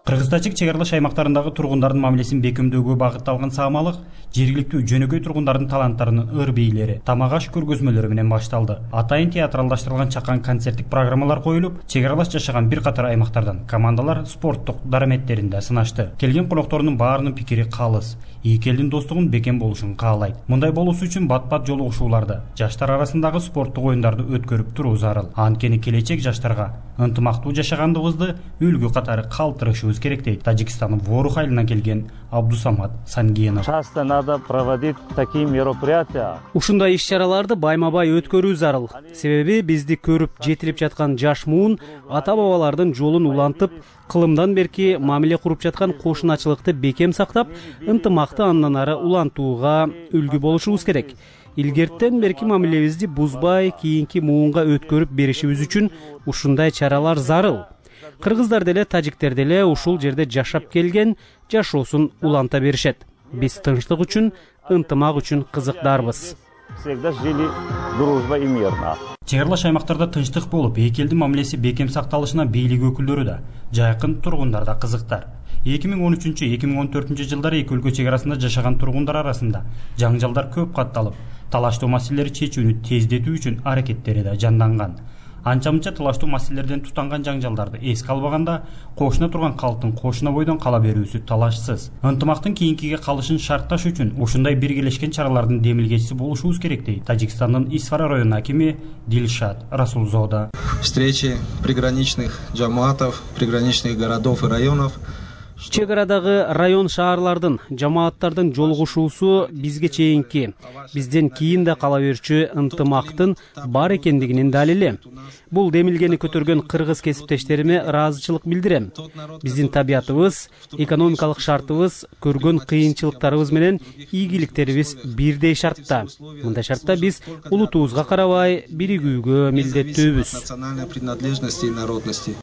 Кыргыз-тажик чек аралаш аймактарындагы тургундардын мамилесин бекемдөөгө багытталган саамалык жергиликтүү жөнөкөй тургундардын таланттарынын ыр бейилери, тамак-аш көргөзмөлөрү менен башталды. Атайын театралдаштырылган чакан концерттик программалар коюлуп, чек аралаш жашаган бир катар аймактардан командалар спорттук дараметтеринде сынашты. Келген коноктордун баарынын пикири калыс, эки элдин достугун бекем болушун каалайт. Мындай болуусу үчүн бат-бат жолугушууларды, жаштар арасындагы спорттук оюндарды өткөрүп туруу зарыл. Анткени келечек жаштарга ынтымактуу жашагандыгыбызды үлгү катары калтырышыбыз керек дейт Тажикстан Ворух айылынан келген Абдусамат Сангенов. Часто надо проводить такие мероприятия. Ушундай иш-чараларды байма-бай өткөрүү зарыл. Себеби бизди көрүп жетилип жаткан жаш муун ата-бабалардын жолун улантып, кылымдан берки мамиле куруп жаткан кошуначылыкты бекем сактап, ынтымакты андан ары улантууга үлгү болушубуз керек. Илгерттен берки мамилебизди бузбай, кийинки муунга өткөрүп беришибиз үчүн ушундай чаралар зарыл. Кыргыздар деле, тажиктер деле ушул жерде жашап келген, жашоосун уланта беришет. Биз тынчтык үчүн, ынтымак үчүн кызыктарбыз. Всегда жили дружба и мирно. Чек аралаш аймактарда тынчтык болуп, эки элдин мамилеси бекем сакталышына бийлик өкүлдөрү да, жайкын тургундар да кызыктар. 2013-2014 жылдары эки өлкө чек арасында жашаган тургундар арасында жаңжалдар көп катталып, талаштуу маселелери чечүүнү тездетүү үчүн аракеттери да жанданган. Анча-мынча талаштуу маселелерден тутанган жаңжалдарды эске албаганда, кошуна турган калктын кошуна бойдон кала берүүсү талашсыз. Ынтымактын кийинкиге калышын шартташ үчүн ушундай биргелешкен чаралардын демилгечиси болушубуз керек дейт Тажикстандын Исфара районунун акими Дилшат Расулзода. Встречи приграничных джамаатов, приграничных городов и районов чек арадагы район шаарлардын жамааттардын жолугушуусу бизге чейинки, бизден кийин да кала берчү ынтымактын бар экендигинин далили. Бул демилгени көтөргөн кыргыз кесиптештериме ыраазычылык билдирем. Биздин табиятыбыз, экономикалык шартыбыз, көргөн кыйынчылыктарыбыз менен ийгиликтерибиз бирдей шартта. Мындай шартта биз улутубузга карабай биригүүгө милдеттүүбүз.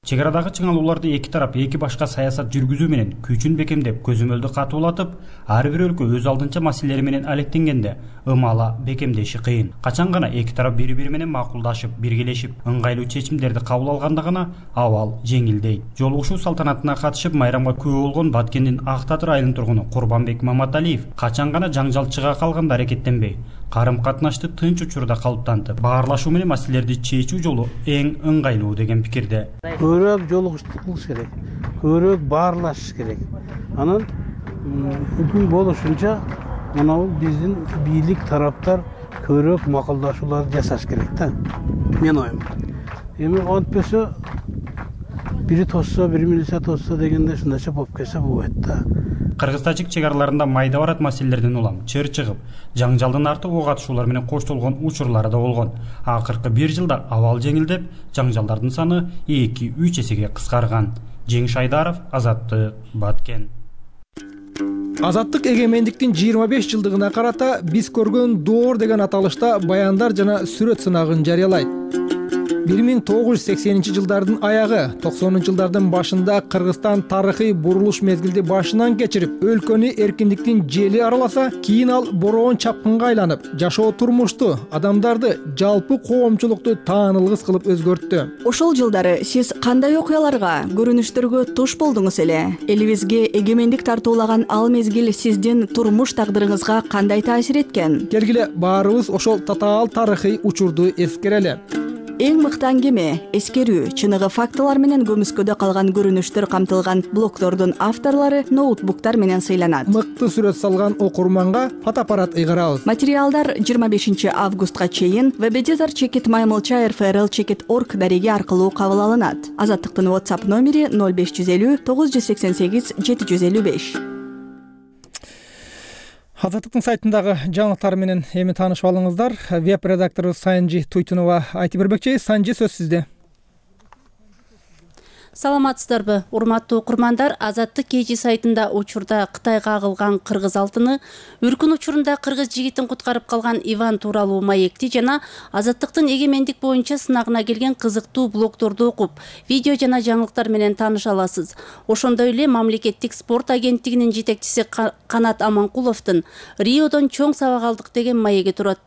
Чек арадагы чыңалууларды эки тарап эки башка саясат жүргүзүү менен күчүн бекемдеп, көзөмөлдү катуулатып, ар бир өлкө өз алдынча маселелери менен алектенгенде ымала бекемдеши кыйын. Качан гана эки тарап бири-бири менен макулдашып, биргелешип, ыңгайлуу чечимдерди кабыл алганда гана абал жеңилдейт. Жолугушуу салтанатына катышып майрамга күбө болгон Баткендин Ак Татыр айылынын тургуну Курбанбек Маматалиев качан гана жаңжал чыга калганда аракеттенбей, карым-катнашты тынч учурда калыптантып, баарлашуу менен маселелерди чечүү жолу эң ыңгайлуу деген пикирде. Көбүрөөк жолугуштук кылыш керек, көбүрөөк баарлашыш керек. Анан мүмкүн болушунча мына биздин бийлик тараптар көбүрөөк макулдашууларды жасаш керек да. Мен оюм. Эми антпесе бири тосса, бири милиция тосса дегенде ушундайча болуп кетсе болбойт да. Кыргыз-тажик чек араларында майда барат маселелерден улам чыр чыгып, жаңжалдын арты ок атышуулар менен коштолгон учурлары да болгон. Акыркы бир жылда абал жеңилдеп, жаңжалдардын саны 2-3 эсеге кыскарган. Жеңиш Айдаров, Азаттык, Баткен. Азаттык эгемендиктин 25 жылдыгына карата биз көргөн доор деген аталышта баяндар жана сүрөт сынагын жарыялайт. 1980-жылдардын аягы, 90-жылдардын башында Кыргызстан тарыхый бурулуш мезгилди башынан кечирип, өлкөнү эркиндиктин жели араласа, кийин ал бороон чапкынга айланып, жашоо турмушту, адамдарды, жалпы коомчулукту таанылгыс кылып өзгөрттү. Ошол жылдары сиз кандай окуяларга, көрүнүштөргө туш болдуңуз эле? Элибизге эгемендик тартуулаган ал мезгил сиздин турмуш тагдырыңызга кандай таасир эткен? Келгиле баарыбыз ошол татаал тарыхый учурду эскерели. Эң мыкты аңгеме, эскерүү, чыныгы фактылар менен көмүскөдө калган көрүнүштөр камтылган блогтордун авторлору ноутбуктар менен сыйланат. Мыкты сүрөт салган окурманга фотоаппарат ыйгарабыз. Материалдар 25 августка чейин www.maymilcha.rfrl.org дареги аркылуу кабыл алынат. Азаттыктын WhatsApp номери 0550 988 755. Азаттыктын сайтындагы жаңылыктар менен эми таанышып алыңыздар. Веб редактору Санжи Туйтунова айтып бермекчи. Санжи, сөз сизде. Саламатсыздарбы, урматтуу окурмандар. Азаттык KG сайтында учурда Кытайга агылган кыргыз алтыны, үркүн учурунда кыргыз жигитин куткарып калган Иван тууралуу маекти жана азаттыктын эгемендик боюнча сынагына келген кызыктуу блогторду окуп, видео жана жаңылыктар менен тааныша аласыз. Ошондой эле мамлекеттик спорт агенттигинин жетекчиси Канат Аманкуловдун Риодон чоң сабак алдык деген маеги турат.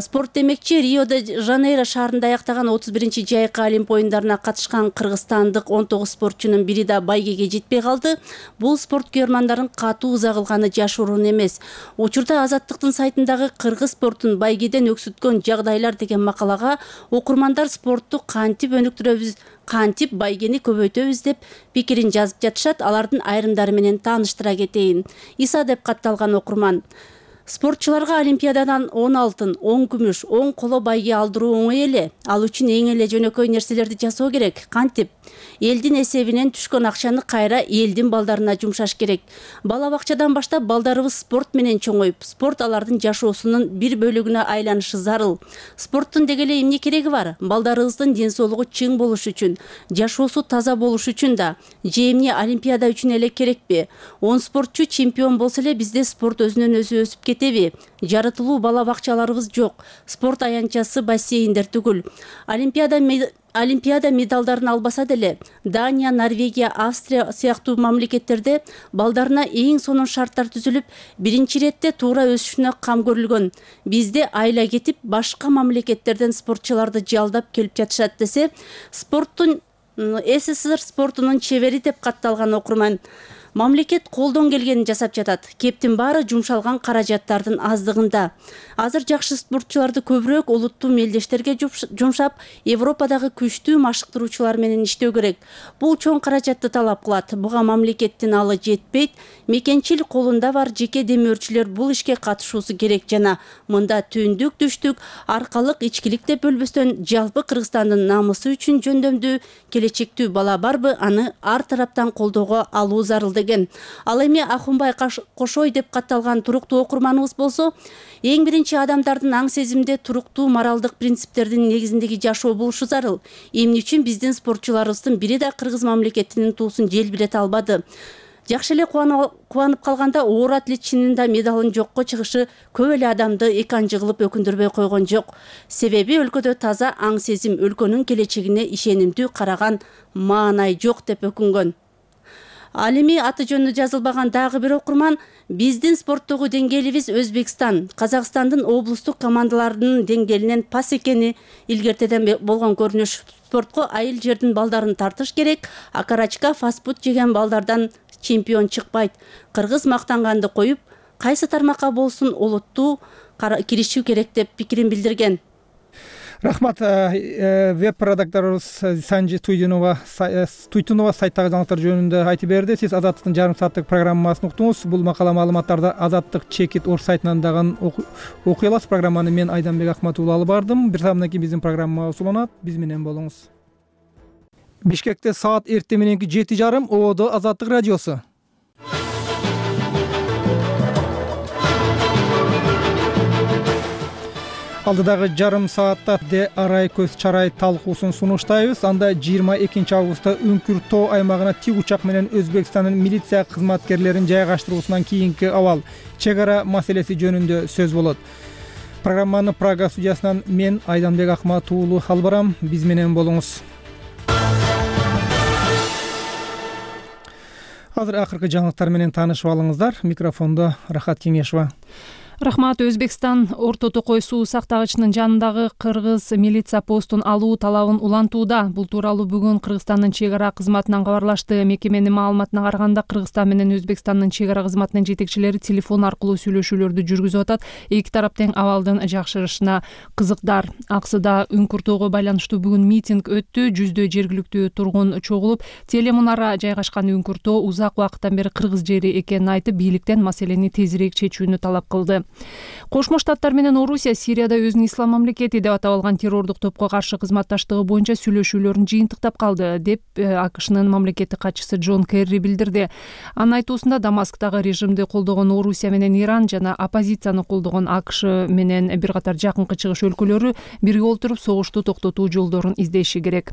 Спорт демекчи, Рио-де-Жанейро шаарында аяктаган 31-чи жайкы Олимп оюндарына катышкан кыргызстандык 19 спортчунун бири да байгеге жетпей калды. Бул спорт көрмандарын катуу ыза кылганы жашыруун эмес. Учурда Азаттыктын сайтындагы кыргыз спортун байгеден өксүткөн жагдайлар деген макалага окурмандар спортту кантип өнүктүрөбүз, кантип байгени көбөйтөбүз деп пикирин жазып жатышат. Алардын айрымдары менен тааныштыра кетейин. Иса деп катталган окурман: спортчуларга Олимпиададан 10 алтын, 10 күмүш, 10 коло байге алдыруу оңой эле. Ал үчүн эң эле жөнөкөй нерселерди жасоо керек. Кантип? Элдин эсебинен түшкөн акчаны кайра элдин балдарына жумшаш керек. Бала бакчадан баштап балдарыбыз спорт менен чоңоюп, спорт алардын жашоосунун бир бөлүгүнө айланышы зарыл. Спорттун деги эле эмне кереги бар? Балдарыбыздын ден соолугу чың болуш үчүн, жашоосу таза болуш үчүн да. Же эмне Олимпиада үчүн эле керекпи? 10 спортчу чемпион болсо эле бизде спорт өзүнөн өзү өсүп кетеби? Жаратылуу бала бакчаларыбыз жок. Спорт аянтчасы бассейндер түгүл. Олимпиада медалдарын албаса деле Дания, Норвегия, Австрия сыяктуу мамлекеттерде балдарына эң сонун шарттар түзүлүп, биринчи ирет туура өсүшүнө кам көрүлгөн. Бизде айла кетип, башка мамлекеттерден спортчуларды жалдап келип жатышат десе, спорттун СССР спортунун чебери деп катталган окурман. Мамлекет колдон келгенин жасап жатат. Кептин баары жумшалган каражаттардын аздыгында. Азыр жакшы спортчуларды көбүрөөк улуттуу мелдештерге жумшап, Европадагы күчтүү машыктыруучулар менен иштөө керек. Бул чоң каражатты талап кылат. Буга мамлекеттин алы жетпейт. Мекенчил колунда бар жеке демөөрчүлөр бул ишке катышуусу керек жана мында түндүк, түштүк, аркалык, ичкилик деп бөлбөстөн жалпы Кыргызстандын намысы үчүн жөндөмдүү, келечектүү бала барбы, аны ар тараптан колдоого алуу зарыл деген. Ал эми Ахунбай Кошой деп катталган туруктуу окурманыбыз болсо, эң биринчи адамдардын аң сезимде туруктуу моралдык принциптердин негизиндеги жашоо болушу зарыл. Эмне үчүн биздин спортчуларыбыздын бири да кыргыз мамлекетинин туусун желбирете албады? Жакшы эле кубанып калганда оор атлет чынында медалын жокко чыгышы көп эле адамды эканжы кылып өкүндүрбөй койгон жок. Себеби өлкөдө таза аң сезим, өлкөнүн келечегине ишенимдүү караган маанай жок деп өкүнгөн. Ал эми аты жөнү жазылбаган дагы бир окурман биздин спорттогу деңгээлибиз Өзбекстан, Казакстандын облустук командаларынын деңгээлинен пас экени илгертеден болгон көрүнүш. Спортко айыл жердин балдарын тартыш керек, а карачка фастфуд жеген балдардан чемпион чыкпайт. Кыргыз мактанганды коюп, кайсы тармакка болсун улуттуу киришүү керек деп пикирин билдирген. Рахмат. Веб редакторубуз Санжи Туйтунова сайттагы жаңылыктар жөнүндө айтып берди. Сиз Азаттыктын жарым сааттык программасын уктуңуз. Бул макала маалыматтарды Азаттык Чекит Орус сайтынан дагы окуй аласыз. Программаны мен Айданбек Акматуулу алып бардым. Бир сааттан кийин биздин программа уланат. Биз менен болуңуз. Бишкекте саат эртең мененки 7:30 ООД Азаттык радиосу. Алдыдагы жарым саатта Де Арай көз чарай талкуусун сунуштайбыз. Анда 22 августта Үңкүр тоо аймагына тик учак менен Өзбекстандын милиция кызматкерлерин жайгаштыруусунан кийинки абал, чек ара маселеси жөнүндө сөз болот. Программаны Прага студиясынан мен Айданбек Акматуулу алып барам. Биз менен болуңуз. Азыр акыркы жаңылыктар менен таанышып алыңыздар. Микрофондо Рахат Кеңешова. Рахмат. Өзбекстан Орто Токой суу сактагычынын жанындагы кыргыз милиция постун алуу талабын улантууда. Бул тууралуу бүгүн Кыргызстандын чек ара кызматынан кабарлашты. Мекеменин маалыматына караганда Кыргызстан менен Өзбекстандын чек ара кызматынын жетекчилери телефон аркылуу сүйлөшүүлөрдү жүргүзүп атат. Эки тарап тең абалдын жакшырышына кызыктар. Аксыда Үңкүр тоого байланыштуу бүгүн митинг өттү. Жүздөй жергиликтүү тургун чогулуп, телемунара жайгашкан Үңкүр тоо узак убакыттан бери кыргыз жери экенин айтып, бийликтен маселени тезирээк чечүүнү талап кылды. Кошмо Штаттар менен Орусия Сирияда өзүн ислам мамлекети деп атап алган террордук топко каршы кызматташтыгы боюнча сүйлөшүүлөрүн жыйынтыктап калды деп АКШнын мамлекеттик катчысы Джон Керри билдирди. Анын айтуусунда Дамасктагы режимди колдогон Орусия менен Иран жана оппозицияны колдогон АКШ менен бир катар жакынкы чыгыш өлкөлөрү бирге олтуруп согушту токтотуу жолдорун издеши керек.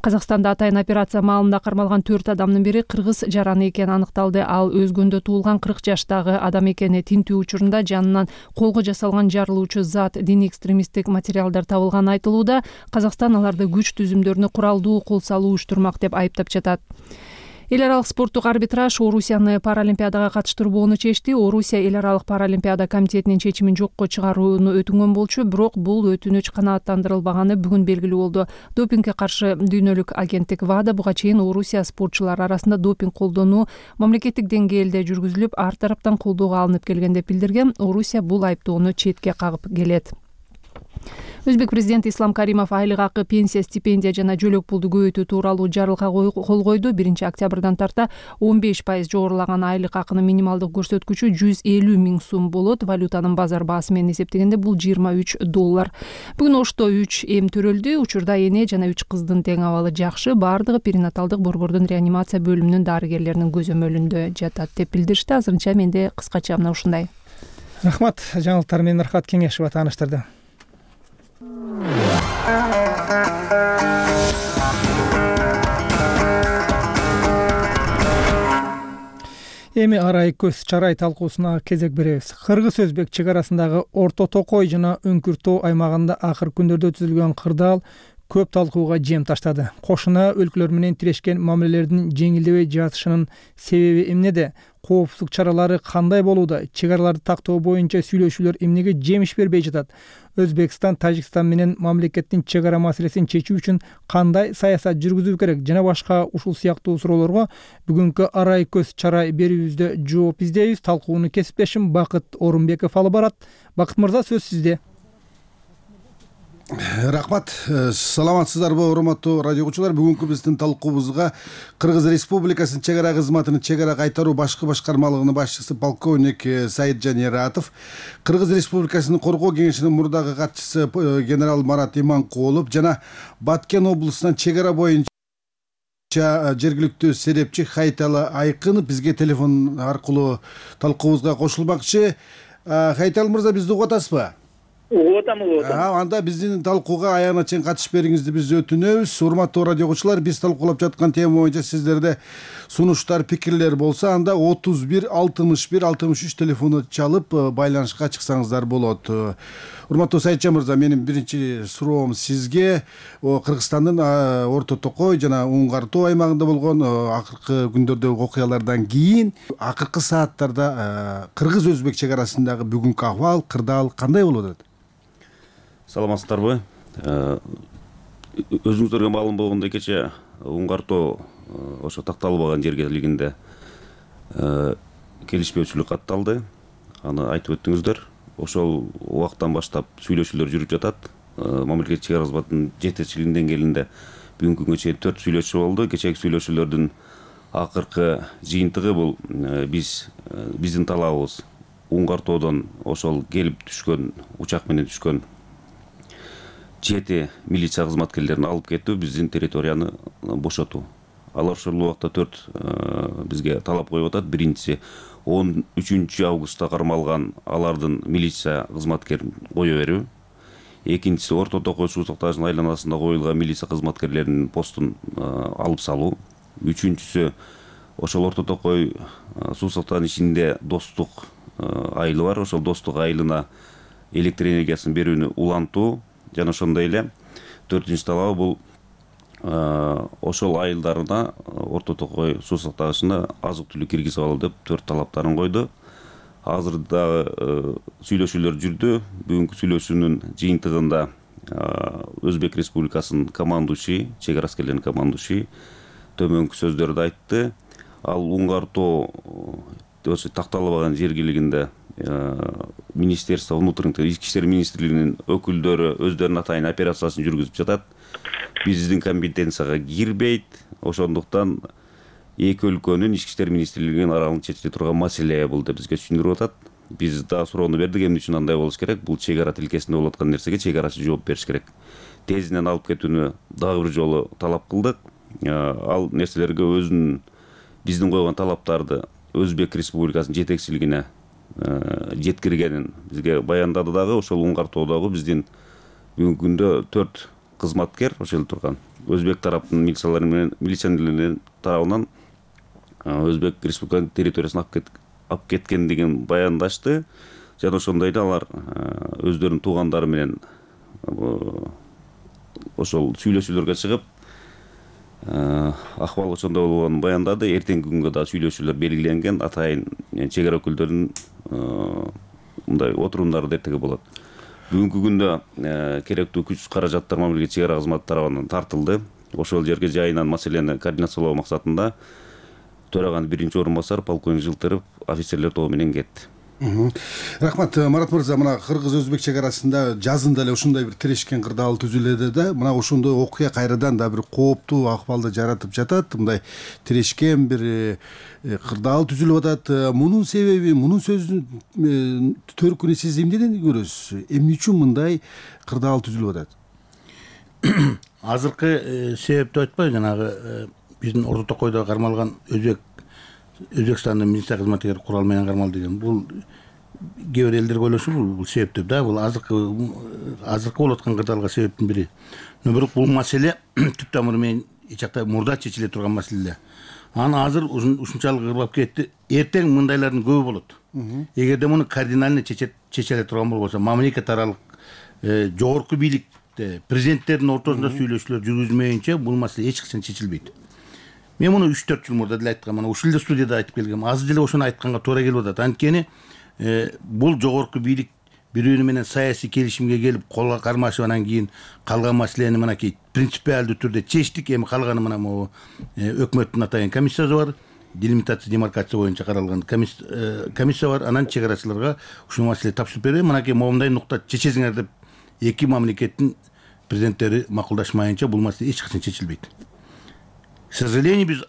Казакстанда атайын операция маалында кармалган 4 адамдын бири кыргыз жараны экени аныкталды. Ал өзгөндө туулган 40 жаштагы адам экени тинтүү учурунда жанынан колго жасалган жарылуучу зат, диний экстремисттик материалдар табылганы айтылууда. Казакстан аларды күч түзүмдөрүнө куралдуу кол салуу уюштурмак деп айыптап жатат. Эл аралык спорттук арбитраж Орусияны Паралимпиадага катыштырбоону чечти. Орусия Эл аралык Паралимпиада комитетинин чечимин жокко чыгарууну өтүнгөн болчу, бирок бул өтүнүч канааттандырылбаганы бүгүн белгилүү болду. Допингге каршы дүйнөлүк агенттик ВАДА буга чейин Орусия спортчулары арасында допинг колдонуу мамлекеттик деңгээлде жүргүзүлүп, ар тараптан колдоого алынып келген деп билдирген. Орусия бул айыптоону четке кагып келет. Өзбек президенти Ислам Каримов айлык акы, пенсия, стипендия жана жөлөк пулду көбөйтүү тууралуу жарлыкка кол койду. 1-октябрдан тарта 15% жогорулаган айлык акынын минималдык көрсөткүчү 150 миң сум болот. Валютанын базар баасы менен эсептегенде бул $23. Бүгүн Ошто 3 эм төрөлдү. Учурда эне жана 3 кыздын тең абалы жакшы. Бардыгы перинаталдык борбордун реанимация бөлүмүнүн дарыгерлеринин көзөмөлүндө жатат деп билдиришти. Азырынча менде кыскача мына ушундай. Рахмат. Жаңылыктар менен Рахат Кеңешова тааныштырды. Эми арай көз чарай талкуусуна кезек беребиз. Кыргыз-өзбек чек арасындагы Орто Токой жана Үңкүр тоо аймагында акыркы күндөрдө түзүлгөн кырдаал көп талкууга жем таштады. Кошуна өлкөлөр менен тирешкен мамилелердин жеңилдебей жатышынын себеби эмнеде? Коопсуздук чаралары кандай болууда? Чек араларды тактоо боюнча сүйлөшүүлөр эмнеге жемиш бербей жатат? Өзбекстан, Тажикстан менен мамлекеттин чек ара маселесин чечүү үчүн кандай саясат жүргүзүү керек? Жана башка ушул сыяктуу суроолорго бүгүнкү арай көз чарай берүүбүздө жооп издейбиз. Талкууну кесиптешим Бакыт Орунбеков алып барат. Бакыт мырза, сөз сизде. Рахмат. Саламатсыздарбы, урматтуу радио угуучулар? Бүгүнкү биздин талкуубузга Кыргыз Республикасынын чек ара кызматынын чек ара кайтаруу башкы башкармалыгынын башчысы полковник Саиджан Ератов, Кыргыз Республикасынын коргоо кеңешинин мурдагы катчысы генерал Марат Иманкулов жана Баткен облусунан чек ара боюнча жергиликтүү серепчи Хайталы Айкынов бизге телефон аркылуу талкуубузга кошулмакчы. Хайталы мырза, бизди угуп атасызбы? Угуп атам. Анда биздин талкууга аягына чейин катышып бериңизди биз өтүнөбүз. Урматтуу радио угуучулар, биз талкуулап жаткан тема боюнча сиздерде сунуштар, пикирлер болсо, анда 31 61 63 телефону чалып байланышка чыксаңыздар болот. Урматтуу Саиджан мырза, менин биринчи суроом сизге Кыргызстандын Орто Токой жана Уңгар Тоо аймагында болгон акыркы күндөрдөгү окуялардан кийин акыркы сааттарда кыргыз-өзбек чек арасындагы бүгүнкү акыбал, кырдаал кандай болуп атат? Саламатсыздарбы? Өзүңүздөргө маалым болгондой, кече Уңгар Тоо ошо такталбаган жергелигинде келишпөөчүлүк катталды. Аны айтып өттүңүздөр. Ошол убактан баштап сүйлөшүүлөр жүрүп жатат. Мамлекеттик чек ара кызматынын жетекчилигинин деңгээлинде бүгүнкү күнгө чейин 4 сүйлөшүү болду. Кечээки сүйлөшүүлөрдүн акыркы жыйынтыгы бул биздин талабыбыз Уңгар Тоодон ошол келип түшкөн, учак менен түшкөн 7 милиция кызматкерлерин алып кетүү, биздин территорияны бошотуу. Алар ошол убакта 4 бизге талап коюп атат. Биринчиси 13 августта кармалган алардын милиция кызматкерин кое берүү. Экинчиси Орто Токой суу сактагычынын айланасында коюлган милиция кызматкерлеринин постун алып салуу. Үчүнчүсү ошол Орто Токой суу сактаган ишинде достук айылы бар. Ошол достук айылына электр энергиясын берүүнү улантуу. Жана ошондой эле 4-нчи талабы бул ошол айылдарына Орто Токой суу сактагычына азык-түлүк киргизип алуу деп 4 талаптарын койду. Азырда сүйлөшүүлөр жүрдү. Бүгүнкү сүйлөшүүнүн жыйынтыгында Өзбек Республикасынын командующий, чек ара аскерлеринин командующий төмөнкү сөздөрдү айтты. Ал Уңгар Тоо такталбаган жергилигинде Министерство внутренних дел, Ички иштер министрлигинин өкүлдөрү өздөрүнүн атайын операциясын жүргүзүп жатат. Биздин компетенцияга кирбейт. Ошондуктан эки өлкөнүн Ички иштер министрлигинин аралыгында чечиле турган маселе бул деп бизге түшүндүрүп атат. Биз да суроону бердик, эмне үчүн андай болуш керек? Бул чек ара тилкесинде болуп аткан нерсеге чек арачы жооп бериш керек. Тезинен алып кетүүнү дагы бир жолу талап кылдык. Ал нерселерге өзүнүн биздин койгон талаптарды Өзбек Республикасынын жетекчилигине жеткиргенин бизге баяндады дагы. Ошол Уңгар Тоодогу биздин бүгүнкү күндө 4 кызматкер ошол турган Өзбек тараптын милиционерлеринин тарабынан Өзбек Республикасынын территориясына алып кеткендигин баяндашты. Жана ошондой эле алар өздөрүнүн туугандары менен ошол сүйлөшүүлөргө чыгып акыбал ошондой болгонун баяндады. Эртеңки күнгө да сүйлөшүүлөр белгиленген. Атайын чек ара өкүлдөрүнүн мындай отурумдары да эртеге болот. Бүгүнкү күндө керектүү күч каражаттар мамлекеттик чек ара кызматы тарабынан тартылды. Ошол жерге жайынан маселени координациялоо максатында төраганын биринчи орун басары полковник Жылтыров офицерлер тобу менен кетти. Рахмат, Марат мырза, мына кыргыз-өзбек чек арасында жазында эле ушундай бир тирешкен кырдаал түзүлүүдө да мына ошондой окуя кайрадан да бир кооптуу акыбалды жаратып жатат. Мындай тирешкен бир кырдаал түзүлүп атат. Мунун себеби, мунун сөздүн төркүнү сиз эмнеден көрөсүз? Эмне үчүн мындай кырдаал түзүлүп атат? Азыркы себепти айтпай, жанагы биздин Орто Токойдо кармалган Өзбекстандын милиция кызматкери курал менен кармалды деген. Бул кээ бир элдер ойлошу бул себеп деп да, бул азыркы болуп аткан кырдаалга себептин бири. Бирок бул маселе түп тамыры менен эч жакта мурда чечиле турган маселе. Аны азыр ушунчалык кырбап кетти. Эртең мындайлардын көбү болот. Эгерде муну кардинально чечеле турган болбосо, мамлекет аралык жогорку бийлик мамлекетте президенттердин ортосунда сүйлөшүүлөр жүргүзмөйүнчө бул маселе эч качан чечилбейт. Мен муну 3-4 жыл мурда деле айткам, мына ушул эле студияда айтып келгем. Азыр деле ошону айтканга туура келип атат. Анткени бул жогорку бийлик бири-бири менен саясий келишимге келип колго кармашып, анан кийин калган маселени мынакей принципиалдуу түрдө чечтик. Эми калганы мына могу өкмөттүн атайын комиссиясы бар, делимитация демаркация боюнча каралган комиссия бар. Анан чек арачыларга ушул маселени тапшырып берем. Мынакей моундай нукта чечесиңер деп эки мамлекеттин президенттери макулдашмайынча бул маселе эч качан чечилбейт. К сожалению,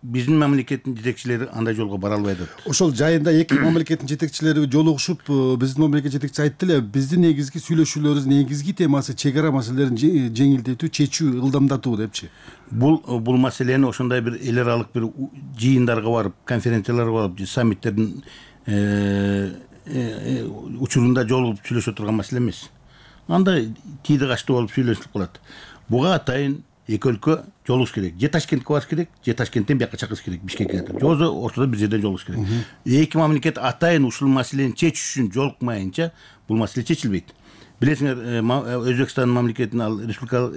биздин мамлекеттин жетекчилери андай жолго бара албай атат. Ошол жайында эки мамлекеттин жетекчилери жолугушуп, биздин мамлекет жетекчиси айтты эле, биздин негизги сүйлөшүүлөрүбүздүн негизги темасы чек ара маселелерин жеңилдетүү, чечүү, ылдамдатуу депчи. Бул маселени ошондой бир эл аралык бир жыйындарга барып, конференцияларга барып, саммиттердин учурунда жолугуп сүйлөшө турган маселе эмес. Андай тийди качты болуп сүйлөшүлүп калат. Буга атайын эки өлкө жолугуш керек. Же Ташкентке барыш керек, же Ташкенттен бияка чакырыш керек, Бишкекке. Жозо ортодо бир жерден жолугуш керек. Эки мамлекет атайын ушул маселени чечиш үчүн жолукмайынча бул маселе чечилбейт. Билесиңер, Өзбекстан мамлекетин ал республика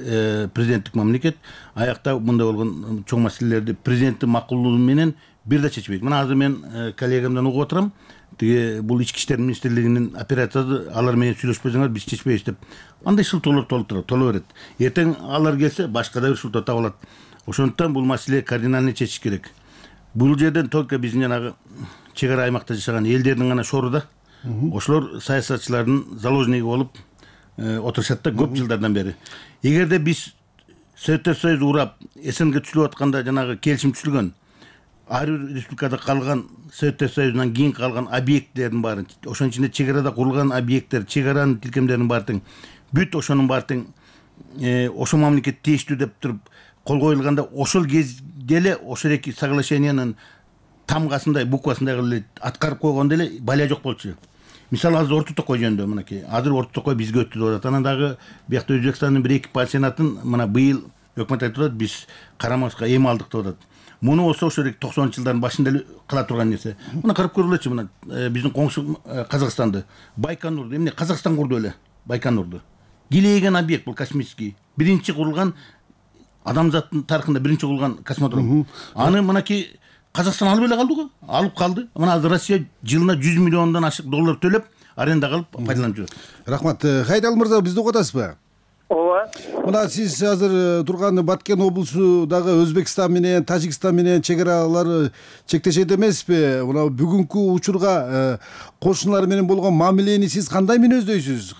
президенттик мамлекет, аякта мындай болгон чоң маселелерди президенттин макулдугу менен бир да чечпейт. Мына азыр мен коллегамдан угуп отурам. Бул ички иштер министрлигинин операциясы, алар менен сүйлөшпөсөңөр биз чечпейбиз деп. Андай шылтоолор толо берет. Эртең алар келсе башка да бир шылтоо табылат. Ошондуктан бул маселе кардинально чечиш керек. Бул жерден только биздин жанагы чек ара аймакта жашаган элдердин гана шору да. Ошолор саясатчылардын заложниги болуп отурушат да көп жылдардан бери. Эгерде биз Советтер Союзу урап, СНГ түзүлүп атканда жанагы келишим түзүлгөн, ар бир республикада калган Советтер Союзунан кийин калган объекттердин баарын, ошонун ичинде чек арада курулган объекттер, чек аранын тилкемдеринин баарын бүт ошонун баарын ошол мамлекет тийиштүү деп туруп кол коюлганда, ошол кезде эле ошол эки соглашениянын тамгасындай, буквасындай кылып аткарып койгондо эле балия жок болчу. Мисалы азыр Орто Токой жөнүндө мынакей. Азыр Орто Токой бизге өттү деп атат. Анан дагы биякта Өзбекстандын бир эки пансионатын мына быйыл өкмөт айтып атат, биз карамаска эми алдык деп атат. Муну болсо ошол 90-жылдардын башында эле кыла турган нерсе. Мына карап көргүлөчү, мына биздин коңшу Казакстанды, Байконурду, эмне Казакстан курду эле, Байконурду. Килейген объект бул космический. Биринчи курулган адамзаттын тарыхында биринчи курулган космодром. Аны мынакей Казакстан алып эле калды го, алып калды. Мына азыр Россия жылына 100 миллиондон ашык доллар төлөп, аренда кылып пайдаланып жүрөт. Рахмат. Хайдал мырза, бизди угуп атасызбы? Ооба. Мына сиз азыр турган Баткен облусундагы Өзбекстан менен Тажикстан менен чек аралар чектешет эмеспи? Мына бүгүнкү учурга кошуналар менен болгон мамилени сиз кандай мүнөздөйсүз?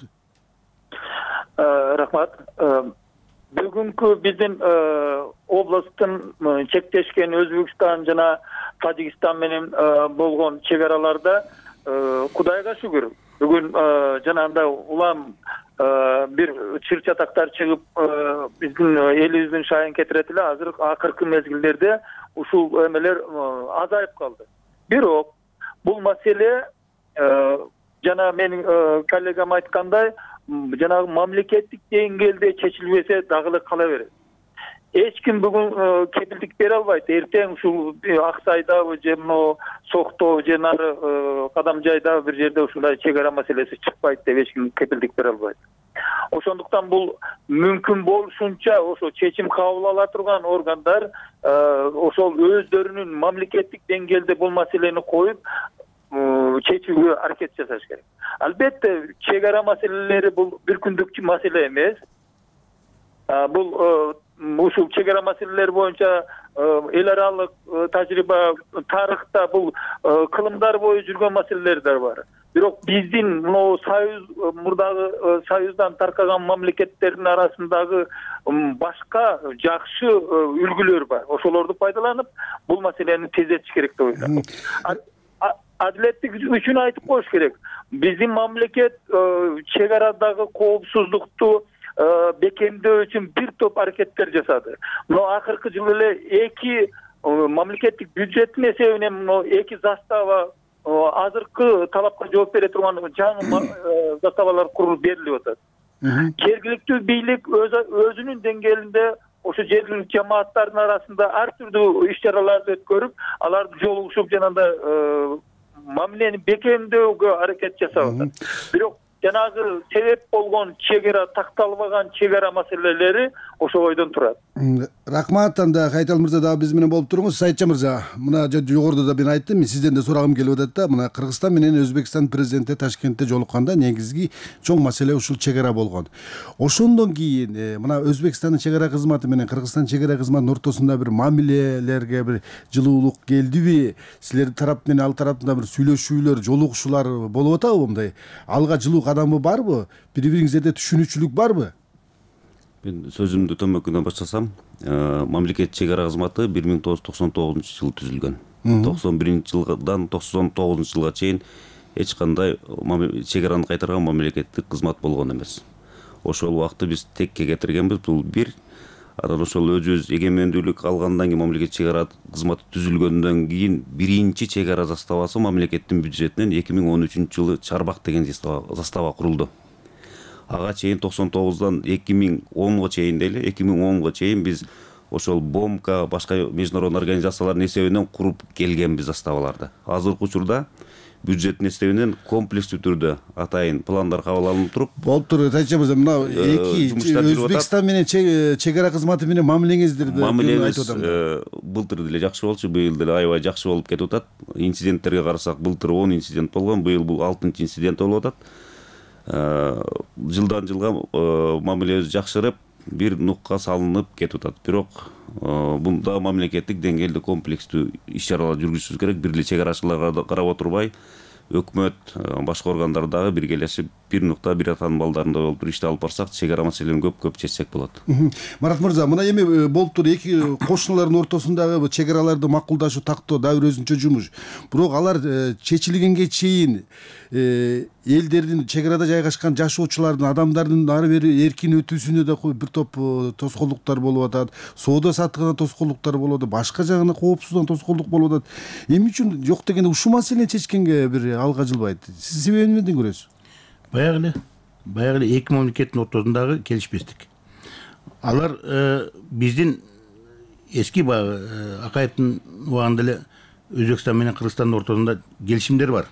Рахмат. Бүгүнкү биздин областтын чектешкен Өзбекстан жана Тажикстан менен болгон чек араларда Кудайга шүгүр бүгүн жанагындай улам бир чыр чатактар чыгып биздин элибиздин шайын кетирет эле. Азыр акыркы мезгилдерде ушул эмелер азайып калды. Бирок бул маселе жана менин коллегам айткандай жанагы мамлекеттик деңгээлде чечилбесе дагы эле кала берет. Эч ким бүгүн кепилдик бере албайт. Эртең ушул Аксайдабы же мына Сокто же нары Кадамжайда бир жерде ушундай чек ара маселеси чыкпайт деп эч ким кепилдик бере албайт. Ошондуктан бул мүмкүн болушунча ошо чечим кабыл ала турган органдар ошол өздөрүнүн мамлекеттик деңгээлде бул маселени коюп чечүүгө аракет жасаш керек. Албетте чек ара маселелери бул бир күндүк маселе эмес. Бул ушул чек ара маселелери боюнча эл аралык тажрыйба тарыхта бул кылымдар бою жүргөн маселелер да бар. Бирок биздин мына союз мурдагы союздан таркаган мамлекеттердин арасындагы башка жакшы үлгүлөр бар. Ошолорду пайдаланып бул маселени тездетиш керек деп ойлойм. Адилеттик үчүн айтып коюш керек. Биздин мамлекет чек арадагы коопсуздукту бекемдөө үчүн бир топ аракеттер жасады. Мына акыркы жылы эле эки мамлекеттик бюджеттин эсебинен эки застава азыркы талапка жооп бере турган жаңы заставалар курулуп берилип атат. Жергиликтүү бийлик өзүнүн деңгээлинде ошо жергиликтүү жамааттардын арасында ар түрдүү иш чараларды өткөрүп, аларды жолугушуп жанагындай мамилени бекемдөөгө аракет жасап атат. Бирок жанагы себеп болгон чек ара такталбаган чек ара маселелери ошо бойдон турат. Рахмат. Анда Кайтал мырза дагы биз менен болуп туруңуз. Сайтча мырза, мына жогоруда да мен айттым, мен сизден да сурагым келип атат да. Мына Кыргызстан менен Өзбекстан президенти Ташкентте жолукканда негизги чоң маселе ушул чек ара болгон. Ошондон кийин мына Өзбекстандын чек ара кызматы менен Кыргызстан чек ара кызматынын ортосунда бир мамилелерге бир жылуулук келдиби? Силердин тарап менен ал тараптын бир сүйлөшүүлөр, жолугушуулар болуп атабы мындай? Алга жылуу кадамы барбы? Бири-бириңиздерде түшүнүүчүлүк барбы? Мен сөзүмдү төмөкүнөн баштасам, мамлекет чек ара кызматы 1999-жылы түзүлгөн. 91-жылдан 99-жылга чейин эч кандай чек араны кайтарган мамлекеттик кызмат болгон эмес. Ошол убакытты биз текке кетиргенбиз. Бул бир. Анан ошол өзүбүз эгемендүүлүк алгандан кийин мамлекет чек ара кызматы түзүлгөндөн кийин биринчи чек ара заставасы мамлекеттин бюджетинен 2013-жылы Чарбак деген застава курулду. Ага чейин 99-дан 2010-го чейин дейли, 2010-го чейин биз ошол БОМК башка международный организациялардын эсебинен куруп келгенбиз заставаларды. Азыркы учурда бюджеттин эсебинен комплекстүү түрдө атайын пландар кабыл алынып туруп. Болуптур. Тайча мырза, мына эки Өзбекстан менен чек ара кызматы менен мамилеңиздер айтып атам. Былтыр деле жакшы болчу, быйыл деле аябай жакшы болуп кетип атат. Инциденттерге карасак, былтыр 10 инцидент болгон, быйыл бул 6-инцидент болуп атат. Жылдан жылга мамилебиз жакшырып, бир нукка салынып кетип атат. Бирок бунда мамлекеттик деңгээлде комплекстүү иш-чаралар жүргүзүшүбүз керек. Бир эле чек арачыларга карап отурбай, өкмөт, башка органдар дагы биргелешип, бир нукта бир атанын балдарында болуп туруп ишти алып барсак, чек ара маселени көп чечсек болот. Марат мырза, мына эми болуптур, эки кошуналардын ортосундагы чек араларды макулдашуу тактоо дагы бир өзүнчө жумуш. Бирок алар чечилгенге чейин элдердин чек арада жайгашкан жашоочулардын, адамдардын ары бери эркин өтүүсүнө да бир топ тоскоолдуктар болуп атат, соода саттыгына тоскоолдуктар болуп атат, башка жагына коопсуздугуна тоскоолдук болуп атат. Эмне үчүн жок дегенде ушул маселени чечкенге бир алга жылбайт? Сиз себебин эмнеден көрөсүз? Баягы эле эки мамлекеттин ортосундагы келишпестик. Алар биздин эски Акаевдин убагында эле Өзбекстан менен Кыргызстандын ортосунда келишимдер бар.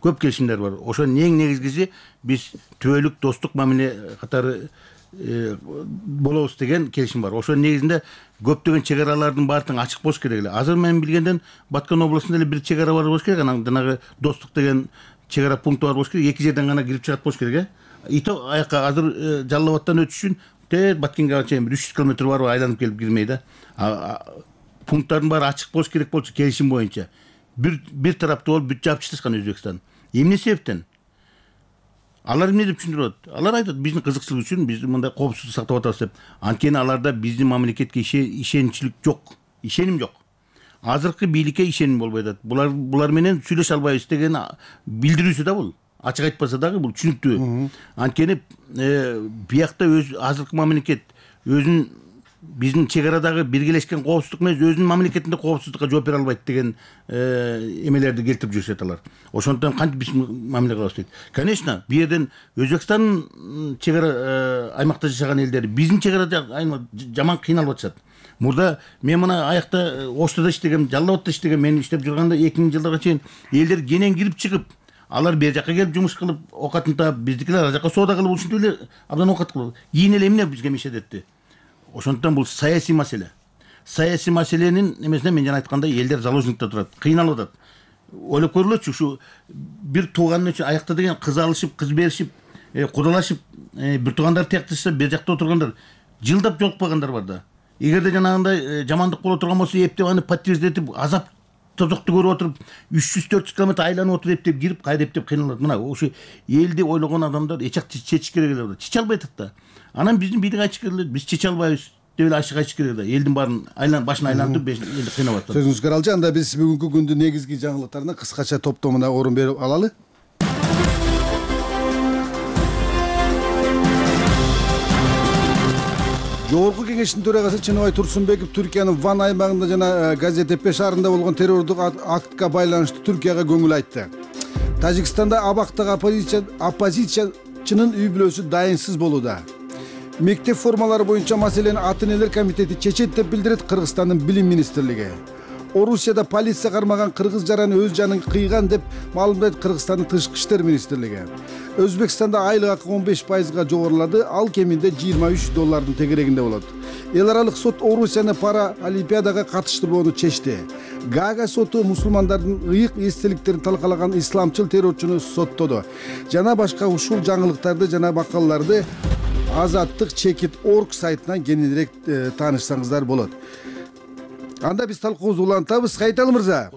Көп келишимдер бар. Ошонун эң негизгиси биз түбөлүк достук мамиле катары болобуз деген келишим бар. Ошонун негизинде көптөгөн чек аралардын баардыгы ачык болуш керек эле. Азыр мен билгенден Баткан областында эле бир чек ара бар болуш керек. Анан жанагы достук деген чек ара пункту бар болуш керек. Эки жерден гана кирип чыгат болуш керек, И то аяка азыр Жалал Абадтан өтүш үчүн Баткенге чейин 300 км барып айланып келип кирмей да. Пункттардын баары ачык болуш керек болчу келишим боюнча. Бир тараптуу болуп бүт жаап чыккан Өзбекстан. Эмне себептен? Алар эмне деп түшүндүрүп атат? Алар айтат, биздин кызыкчылык үчүн биз мындай коопсуздук сактап атабыз деп. Анткени аларда биздин мамлекетке ишеничилик жок, ишеним жок. Азыркы бийликке ишеним болбой атат. Булар менен сүйлөшө албайбыз деген билдирүүсү да бул. Ачык айтпаса дагы бул түшүнүктүү. Анткени биякта азыркы мамлекет өзүнүн биздин чек арадагы биргелешкен коопсуздук эмес, өзүнүн мамлекетинде коопсуздукка жооп бере албайт деген эмелерди келтирип жүрүшөт алар. Ошондон кантип биз мамиле кылабыз дейт. Конечно, бу жерден Өзбекстан чек ара аймакта жашаган элдер биздин чек арада жаман кыйналып атышат. Мурда мен мына аякта Оштода иштегем, Жалал Абадта иштегем, мен иштеп жүргөндө 2000-жылдарга чейин элдер кенен кирип чыгып, алар бер жакка келип жумуш кылып, окатын таап, биздикилер ар жакка соода кылып, ушинтип эле абдан окат кылып. Кийин эле эмне бизге мешет этти? Ошондон бул саясий маселе. Саясий маселенин эмесине мен жана айткандай элдер заложникте турат, кыйналып атат. Ойлоп көрүлөчү, ушу бир тууган үчүн аякта деген кыз алышып, кыз беришип, кудалашып, бир туугандар тиякташса, бер жакта отургандар жылдап жолукпагандар бар да. Эгерде жанагындай жамандык боло турган болсо, эптеп аны подтверждетип, азап тозокту көрүп отуруп, 300-400 км айланып отуруп эптеп кирип, кайра эптеп кыйналат. Мына ошо элди ойлогон адамдар эчак чечиш керек эле. Чече албай атат да. Анан биздин бийлик айтыш керек эле, биз чече албайбыз деп эле ачык айтыш керек эле. Элдин баарын башын айлантып, элди кыйнап атат. Сөзүңүзгө каралчы. Анда биз бүгүнкү күндүн негизги жаңылыктарына кыскача топтомуна орун берип алалы. Жогорку кеңештин төрагасы Чыныбай Турсунбеков Түркиянын Ван аймагында жана Газиантеп шаарында болгон террордук актка байланыштуу Түркияга көңүл айтты. Тажикстанда абактагы оппозициячынын үй бүлөсү дайынсыз болууда. Мектеп формалары боюнча маселени ата-энелер комитети чечет деп билдирет Кыргызстандын билим министрлиги. Орусияда полиция кармаган кыргыз жараны өз жанын кыйган деп маалымдайт Кыргызстандын тышкы иштер министрлиги. Өзбекстанда айлык акы 15%га жогорулады, ал кеминде $23 тегерегинде болот. Эл аралык сот Орусияны пара олимпиадага катыштырбоону чечти. Гага соту мусулмандардын ыйык эстеликтерин талкалаган исламчыл террорчуну соттоду. Жана башка ушул жаңылыктарды жана макалаларды azattik.org сайтынан кененирээк таанышсаңыздар болот. Анда биз талкуубузду улантабыз. Кайталы мырза.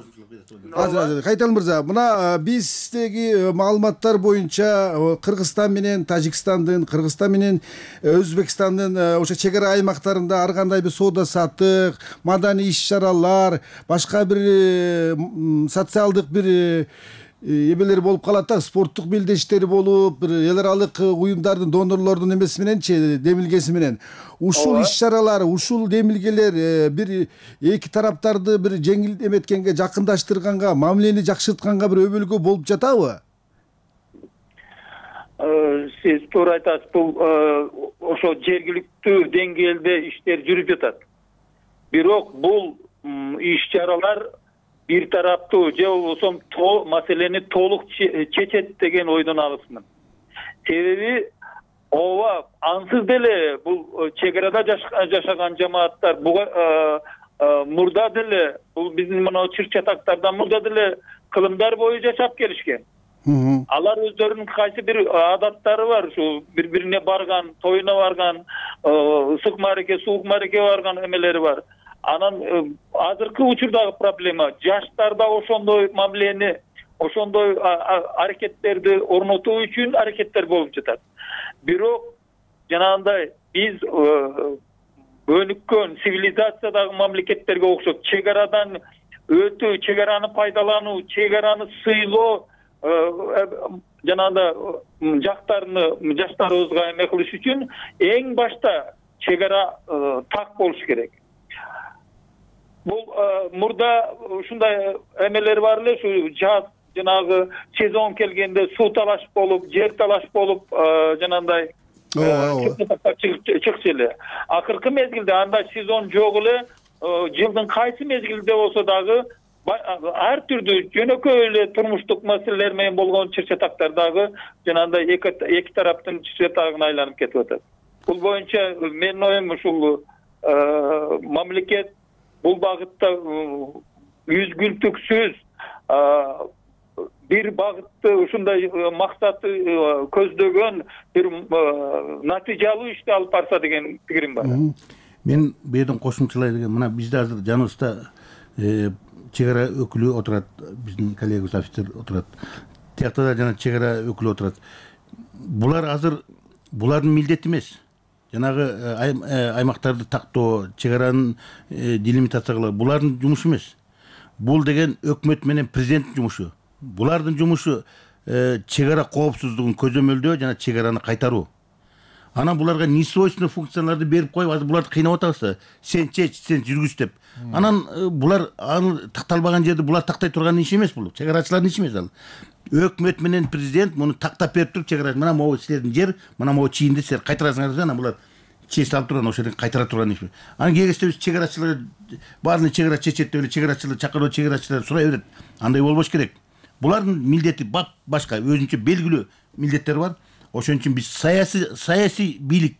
Кайталы мырза, мына биздеги маалыматтар боюнча Кыргызстан менен Тажикстандын, Кыргызстан менен Өзбекстандын ошо чек ара аймактарында ар кандай бир соода саттык, маданий иш-чаралар, башка бир социалдык бир эмелер болуп калат да, спорттук белдештери болуп, бир эл аралык уюмдардын, донорлордун эмеси мененчи, демилгеси менен ушул иш-чаралар, ушул демилгелер бир эки тараптарды бир жеңил эметкенге, жакындаштырганга, мамилени жакшыртканга бир өбөлгө болуп жатабы? Сиз туура айтасыз. Бул ошо жергиликтүү деңгээлде иштер жүрүп жатат. Бирок бул иш-чаралар бир тараптуу же болбосо маселени толук чечет деген ойдон алысмын. Себеби ооба ансыз деле бул чек арада жашаган жамааттар мурда деле бул биздин мына чыр чатактардан мурда деле кылымдар бою жашап келишкен. Алар өздөрүнүн кайсы бир адаттары бар, ушу бири-бирине барган, тоюна барган, ысык маареке, суук маареке барган эмелери бар. Анан азыркы учурдагы проблема жаштарда ошондой мамилени, ошондой аракеттерди орнотуу үчүн аракеттер болуп жатат. Бирок жанагындай биз өнүккөн цивилизациядагы мамлекеттерге окшоп чек арадан өтүү, чек араны пайдалануу, чек араны сыйлоо жанагындай жаштарыбызга эме кылыш үчүн эң башта чек ара так болуш керек. Бул мурда ушундай эмелер бар эле, ушу жаз жанагы сезон келгенде суу талаш болуп, жер талаш болуп, жанагындай чыкчу эле. Акыркы мезгилде андай сезон жок эле, жылдын кайсы мезгилде болсо дагы ар түрдүү жөнөкөй эле турмуштук маселелер менен болгон чыр-чатактар дагы жанагындай эки тараптын чыр-чатагына айланып кетип атат. Бул боюнча менин оюм ушул мамлекет бул багытта үзгүлтүксүз бир багытты ушундай максаты көздөгөн бир натыйжалуу ишти алып барса деген пикирим бар. Мен бу жерден кошумчалай деген, мына бизде азыр жаныбызда чек ара өкүлү отурат, биздин коллегабыз офицер отурат. Тиякта да жана чек ара өкүлү отурат. Булар азыр булардын милдети эмес. Жанагы аймактарды тактоо, чек аранын делимитация кылуу булардын жумушу эмес. Бул деген өкмөт менен президенттин жумушу. Булардын жумушу чек ара коопсуздугун көзөмөлдөө жана чек араны кайтаруу. Анан буларга несвойственный функцияларды берип коюп, азыр буларды кыйнап атабыз. Сен чеч, сен жүргүз деп. Анан булар аны такталбаган жерде булар тактай турган иш эмес бул. Чек арачылардын иши эмес ал. Өкмөт менен президент муну тактап берип туруп, чек ара мына могу силердин жер, мына могу чийинди силер кайтарасыңар, анан булар чеч алып турган, ошол жерден кайтара турган иш. Анан кегесте биз чек арачылар баарын чек ара чечет деп эле чек арачылар чакыруу, чек арачылар сурай берет. Андай болбош керек. Булардын милдети башка, өзүнчө белгилүү милдеттери бар. Ошон үчүн биз саясий бийлик,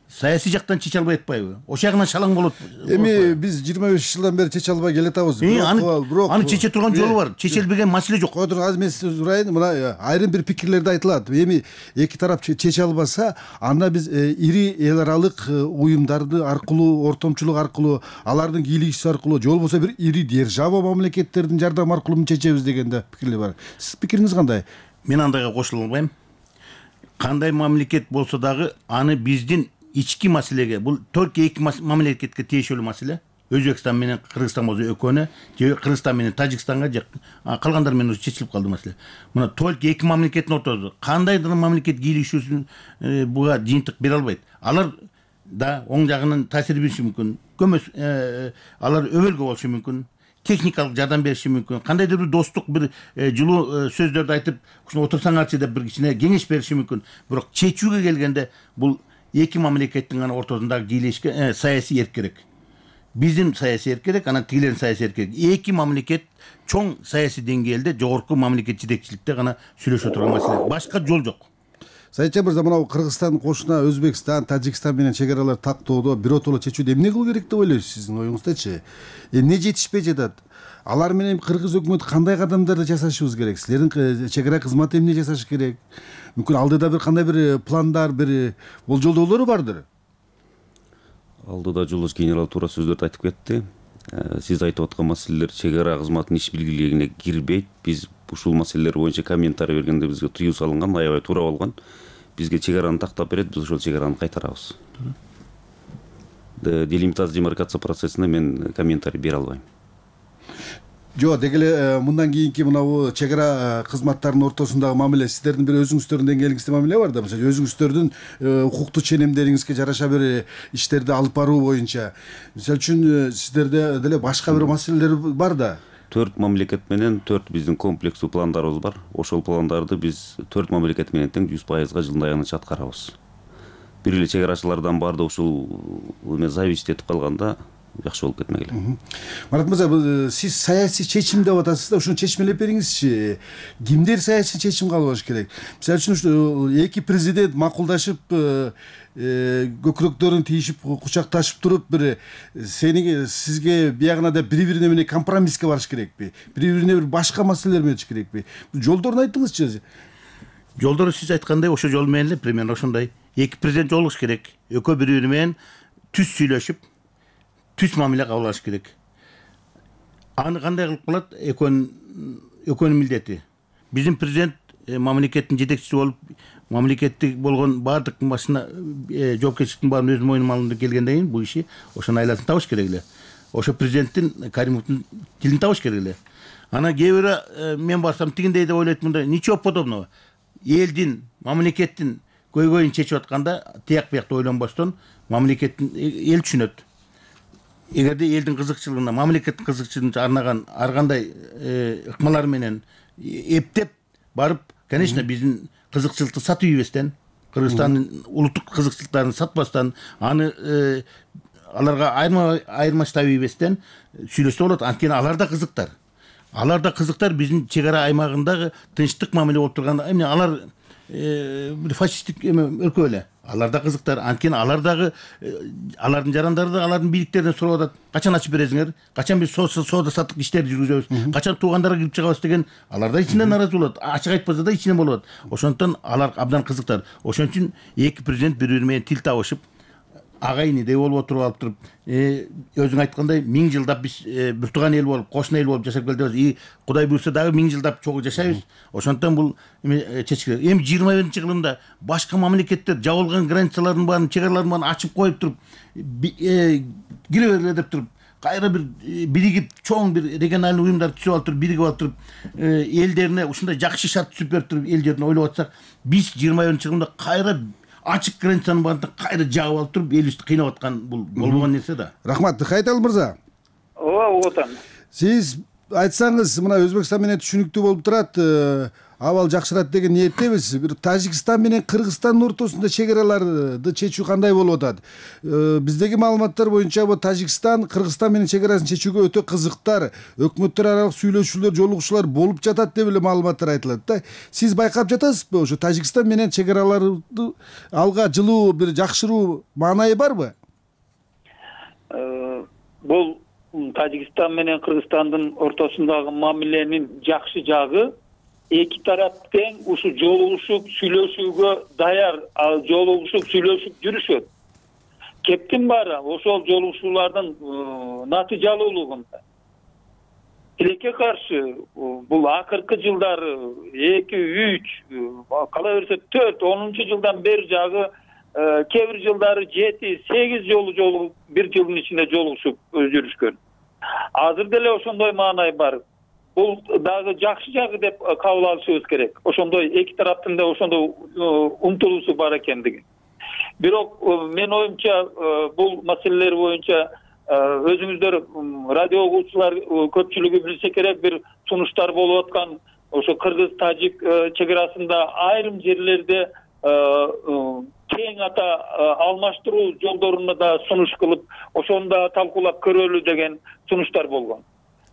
саясий жактан чече албай атпайбы? Ошол жагынан шалаң болот. Эми биз 25 жылдан бери чече албай келатабыз. Аны чече турган жолу бар. Чечелбеген маселе жок. Азыр мен сизден сурайын, мына айрым бир пикирлерде айтылат. Эми эки тарап чече албаса, анда биз ири эл аралык уюмдарды аркылуу, ортомчулук аркылуу, алардын кийлигиши аркылуу, же болбосо бир ири держава мамлекеттердин жардам аркылуу чечебиз дегенде пикирлер бар. Сиз пикириңиз кандай? Мен андайга кошула албайм. Кандай мамлекет болсо дагы аны биздин ички маселеге, бул только эки мамлекетке тиешелүү маселе. Өзбекстан менен Кыргызстан болсо экөөнө, же Кыргызстан менен Тажикстанга, же калгандар менен чечилип калды маселе. Мына только эки мамлекеттин ортосунда кандайдыр мамлекет кийлигишүүсүн буга жыйынтык бере албайт. Алар да оң жагынан таасир бериши мүмкүн. Көмөс алар өбөлгө болушу мүмкүн. Техникалык жардам бериши мүмкүн. Кандайдыр бир достук бир жылуу сөздөрдү айтып, ушуну отурсаңарчы деп бир кичине кеңеш бериши мүмкүн. Бирок чечүүгө келгенде бул эки мамлекеттин гана ортосундагы кийлешке саясий эрк керек. биздин саясий эркек, анан тигилердин саясий эркек. Эки мамлекет чоң саясий деңгээлде, жогорку мамлекет жетекчиликте гана сүйлөшө турган маселе. Башка жол жок. Саитжан мырза, мына Кыргызстан кошуна Өзбекстан, Тажикстан менен чегаралар тактоодо биротоло чечүүдө эмне кылуу керек деп ойлойсуз сиздин оюңуздачы? Эмне жетишпей жатат? Алар менен кыргыз өкмөтү кандай кадамдарды жасашыбыз керек? Силердин чегара кызматы эмне жасаш керек? Мүмкүн алдыда бир кандай бир пландар, бир болжолдоолору бардыр? Алдыда жолдош генерал туура сөздөрдү айтып кетти. Сиз айтып аткан маселелер чегара кызматынын иш билгилигине кирбейт. Биз ушул маселелер боюнча комментарий бергенде бизге тыюу салынган, аябай туура болгон. Бизге чегараны тактап берет, биз ошол чегараны кайтарабыз. Делимитация демаркация процессине мен комментарий бере албайм. Жок, деги эле мындан кийинки мынабу чегара кызматтарынын ортосундагы мамиле сиздердин бир өзүңүздөрдүн деңгээлиңизде мамиле бар да, мисалы өзүңүздөрдүн укуктуу ченемдериңизге жараша бир иштерди алып баруу боюнча. Мисалы үчүн сиздерде деле башка бир маселелер бар да. 4 мамлекет менен 4 биздин комплекстүү пландарыбыз бар. Ошол пландарды биз 4 мамлекет менен тең 100% жылдын аягына аткарабыз. Бир эле чегарачылардан барды ушул зависит этип калганда жакшы болуп кетмек эле. Марат мырза, сиз саясий чечим деп атасыз да, ушуну чечмелеп бериңизчи. Кимдер саясий чечим кабыл алыш керек? Мисалы үчүн эки президент макулдашып, көкүрөктөрүн тийишип, кучакташып туруп, бир сизге биягына да бири-бирине менен компромисске барыш керекпи? Бири-бирине бир башка маселелер менен керекпи? Жолдорун айтыңызчы. Жолдору сиз айткандай ошо жол менен эле примерно ошондой. Эки президент жолугуш керек. Экөө бири-бири менен түз сүйлөшүп, түз мамиле кабыл алыш керек. Аны кандай кылып калат? Экөөнүн милдети. Биздин президент мамлекеттин жетекчиси болуп, мамлекеттик болгон баардык машина жоопкерчиликтин баарын өз мойнума алгым деп келгенден кийин бул иши ошонун айласын табыш керек эле. Ошо президенттин Каримовдун тилин табыш керек эле. Анан кээ бири мен барсам тигиндей деп ойлойт, мындай ничего подобного. Элдин, мамлекеттин көйгөйүн чечип атканда тияк биякты ойлонбостон мамлекеттин эл түшүнөт. Эгерде элдин кызыкчылыгына, мамлекеттин кызыкчылыгына арнаган ар кандай ыкмалар менен эптеп барып, конечно, биздин кызыкчылыкты сатып ийбестен, Кыргызстандын улуттук кызыкчылыктарын сатпастан, аны аларга айырмаштап ийбестен сүйлөшсө болот. Анткени алар да кызыктар. Алар да кызыктар биздин чегара аймагындагы тынчтык мамиле болуп турганда, эмне алар фашисттик өлкө эле. Алар да кызыктар. Анткени алар дагы алардын жарандары да алардын бийликтеринен сурап атат. Качан ачып бересиңер? Качан биз соода саттык иштерди жүргүзөбүз? Качан туугандарга кирип чыгабыз деген алар да ичинен наразы болот. Ачык айтпаса да ичинен болот. Ошондуктан алар абдан кызыктар. Ошон үчүн эки президент бири-бири менен тил табышып, агайынидей болуп отуруп алып туруп, өзүң айткандай 1000 жылдап биз бир тууган эл болуп, кошуна эл болуп жашап келдик. Кудай буйрса дагы 1000 жылдап чогуу жашайбыз. Ошондуктан бул чечилет. Эми 21-жылымда башка мамлекеттер жабылган границалардын баарын, чегаралардын баарын ачып коюп туруп, кире бергиле деп туруп, кайра бир биригип чоң бир региональный уюмдар түзүп алып туруп, биригип алып туруп, элдерине ушундай жакшы шарт түзүп берип туруп, эл жерин ойлоп атсак, биз 21-жылымда кайра ачык границанын баарын кайра жаап алып туруп, элибизди кыйнап аткан бул болбогон нерсе да. Рахмат, Кайтал мырза. Ооба, угутам. Сиз айтсаңыз, мына Өзбекстан менен түшүнүктүү болуп турат, абал жакшырат деген ниеттебиз. Бир Тажикстан менен Кыргызстандын ортосунда чегараларды чечүү кандай болуп атат? Биздеги маалыматтар боюнча бу Тажикстан Кыргызстан менен чегарасын чечүүгө өтө кызыктар, өкмөттөр аралык сүйлөшүүлөр, жолугушуулар болуп жатат деп эле маалыматтар айтылат да. Сиз байкап жатасызбы? Ошо Тажикстан менен чегараларды алга жылуу, бир жакшыруу маанайы барбы? Бул Тажикстан менен Кыргызстандын ортосундагы мамиленин жакшы жагы, эки тарап тең ушу жолугушуп сүйлөшүүгө даяр, жолугушуп сүйлөшүп жүрүшөт. Кептин баары ошол жолугушуулардын натыйжалуулугунда. Тилекке каршы бул акыркы жылдары 2, 3, кала берсе 4, 10 жылдан бери жагы кээ бир жылдары 7, 8 жолу бир жылдын ичинде жолугушуп жүрүшкөн. Азыр деле ошондой маанай бар. Бул дагы жакшы жагы деп кабыл алышыбыз керек. Ошондой эки тараптын да ошондой умтулуусу бар экендиги. Бирок мен оюмча бул маселелер боюнча өзүңүздөр радио угуучулар көпчүлүгү билсе керек, бир сунуштар болуп аткан ошо кыргыз-тажик чегарасында айрым жерлерде тең ата алмаштыруу жолдоруну да сунуш кылып, ошону да талкуулап көрөлү деген сунуштар болгон.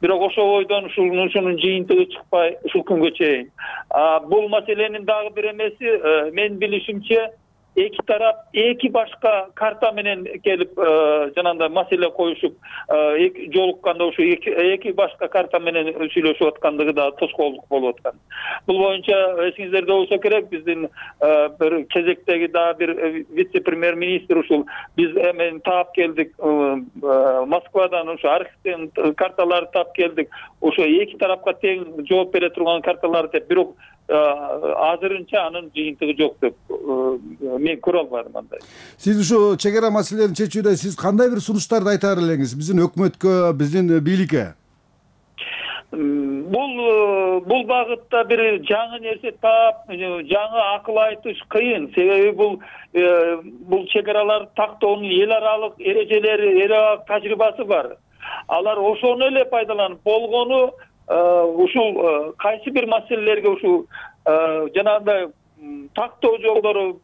Бирок ошол ойдон ушунун жыйынтыгы чыкпай ушул күнгө чейин. Бул маселенин дагы бир эмеси, мен билишимче, эки тарап эки башка карта менен келип жанагындай маселе коюшуп жолукканда ушу эки башка карта менен сүйлөшүп аткандыгы да тоскоолдук болуп аткан. Бул боюнча эсиңиздерде болсо керек, биздин бир кезектеги дагы бир вице-премьер-министр ушул биз эмен таап келдик, Москвадан ушу архивден карталарды таап келдик. Ошо эки тарапка тең жооп бере турган карталар деп, бирок азырынча анын жыйынтыгы жок деп мен көрө албадым андай. Сиз ушу чек ара маселелерин чечүүдө сиз кандай бир сунуштарды айтар элеңиз биздин өкмөткө, биздин бийликке? Бул багытта бир жаңы нерсе таап, жаңы акыл айтыш кыйын. Себеби бул чек араларды тактоонун эл аралык эрежелери, эл аралык тажрыйбасы бар. Алар ошону эле пайдаланып болгону ушул кайсы бир маселелерге ушул жанагындай тактоо жолдору,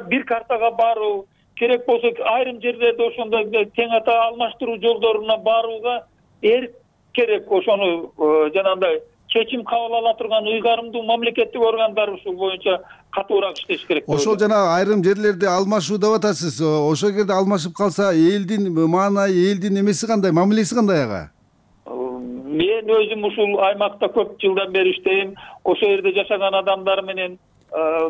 бир картага баруу керек болсо, айрым жерлерде ошондой тең ата алмаштыруу жолдоруна барууга керек. Ошону жанагындай чечим кабыл ала турган ыйгарымдуу мамлекеттик органдар ушул боюнча катуураак иштеш керек. Ошол жана айрым жерлерде алмашуу деп атасыз. Ошол жерде алмашып калса элдин маанайы, элдин эмеси кандай, мамилеси кандай ага? Мен өзүм ушул аймакта көп жылдан бери иштейм. Ошол жерде жашаган адамдар менен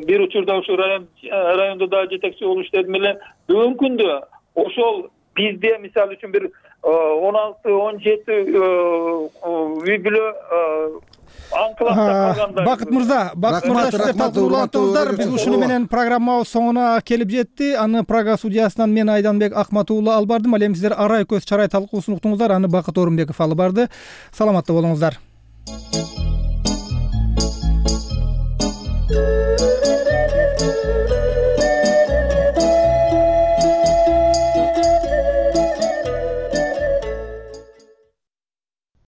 бир учурда ушул райондо да жетекчи болуп иштедим эле. Бүгүнкү күндө ошол бизде мисалы үчүн бир 16-17 үй бүлө анклавда калганда. Бакыт мырза, сиздер талкуулантыңыздар. Биз ушуну менен программабыз соңуна келип жетти. Аны Прага судьясынан мен Айданбек Акмат уулу алып бардым. Ал эми сиздер арай көз чарай талкуусун уктуңуздар. Аны Бакыт Орунбеков алып барды. Саламатта болуңуздар.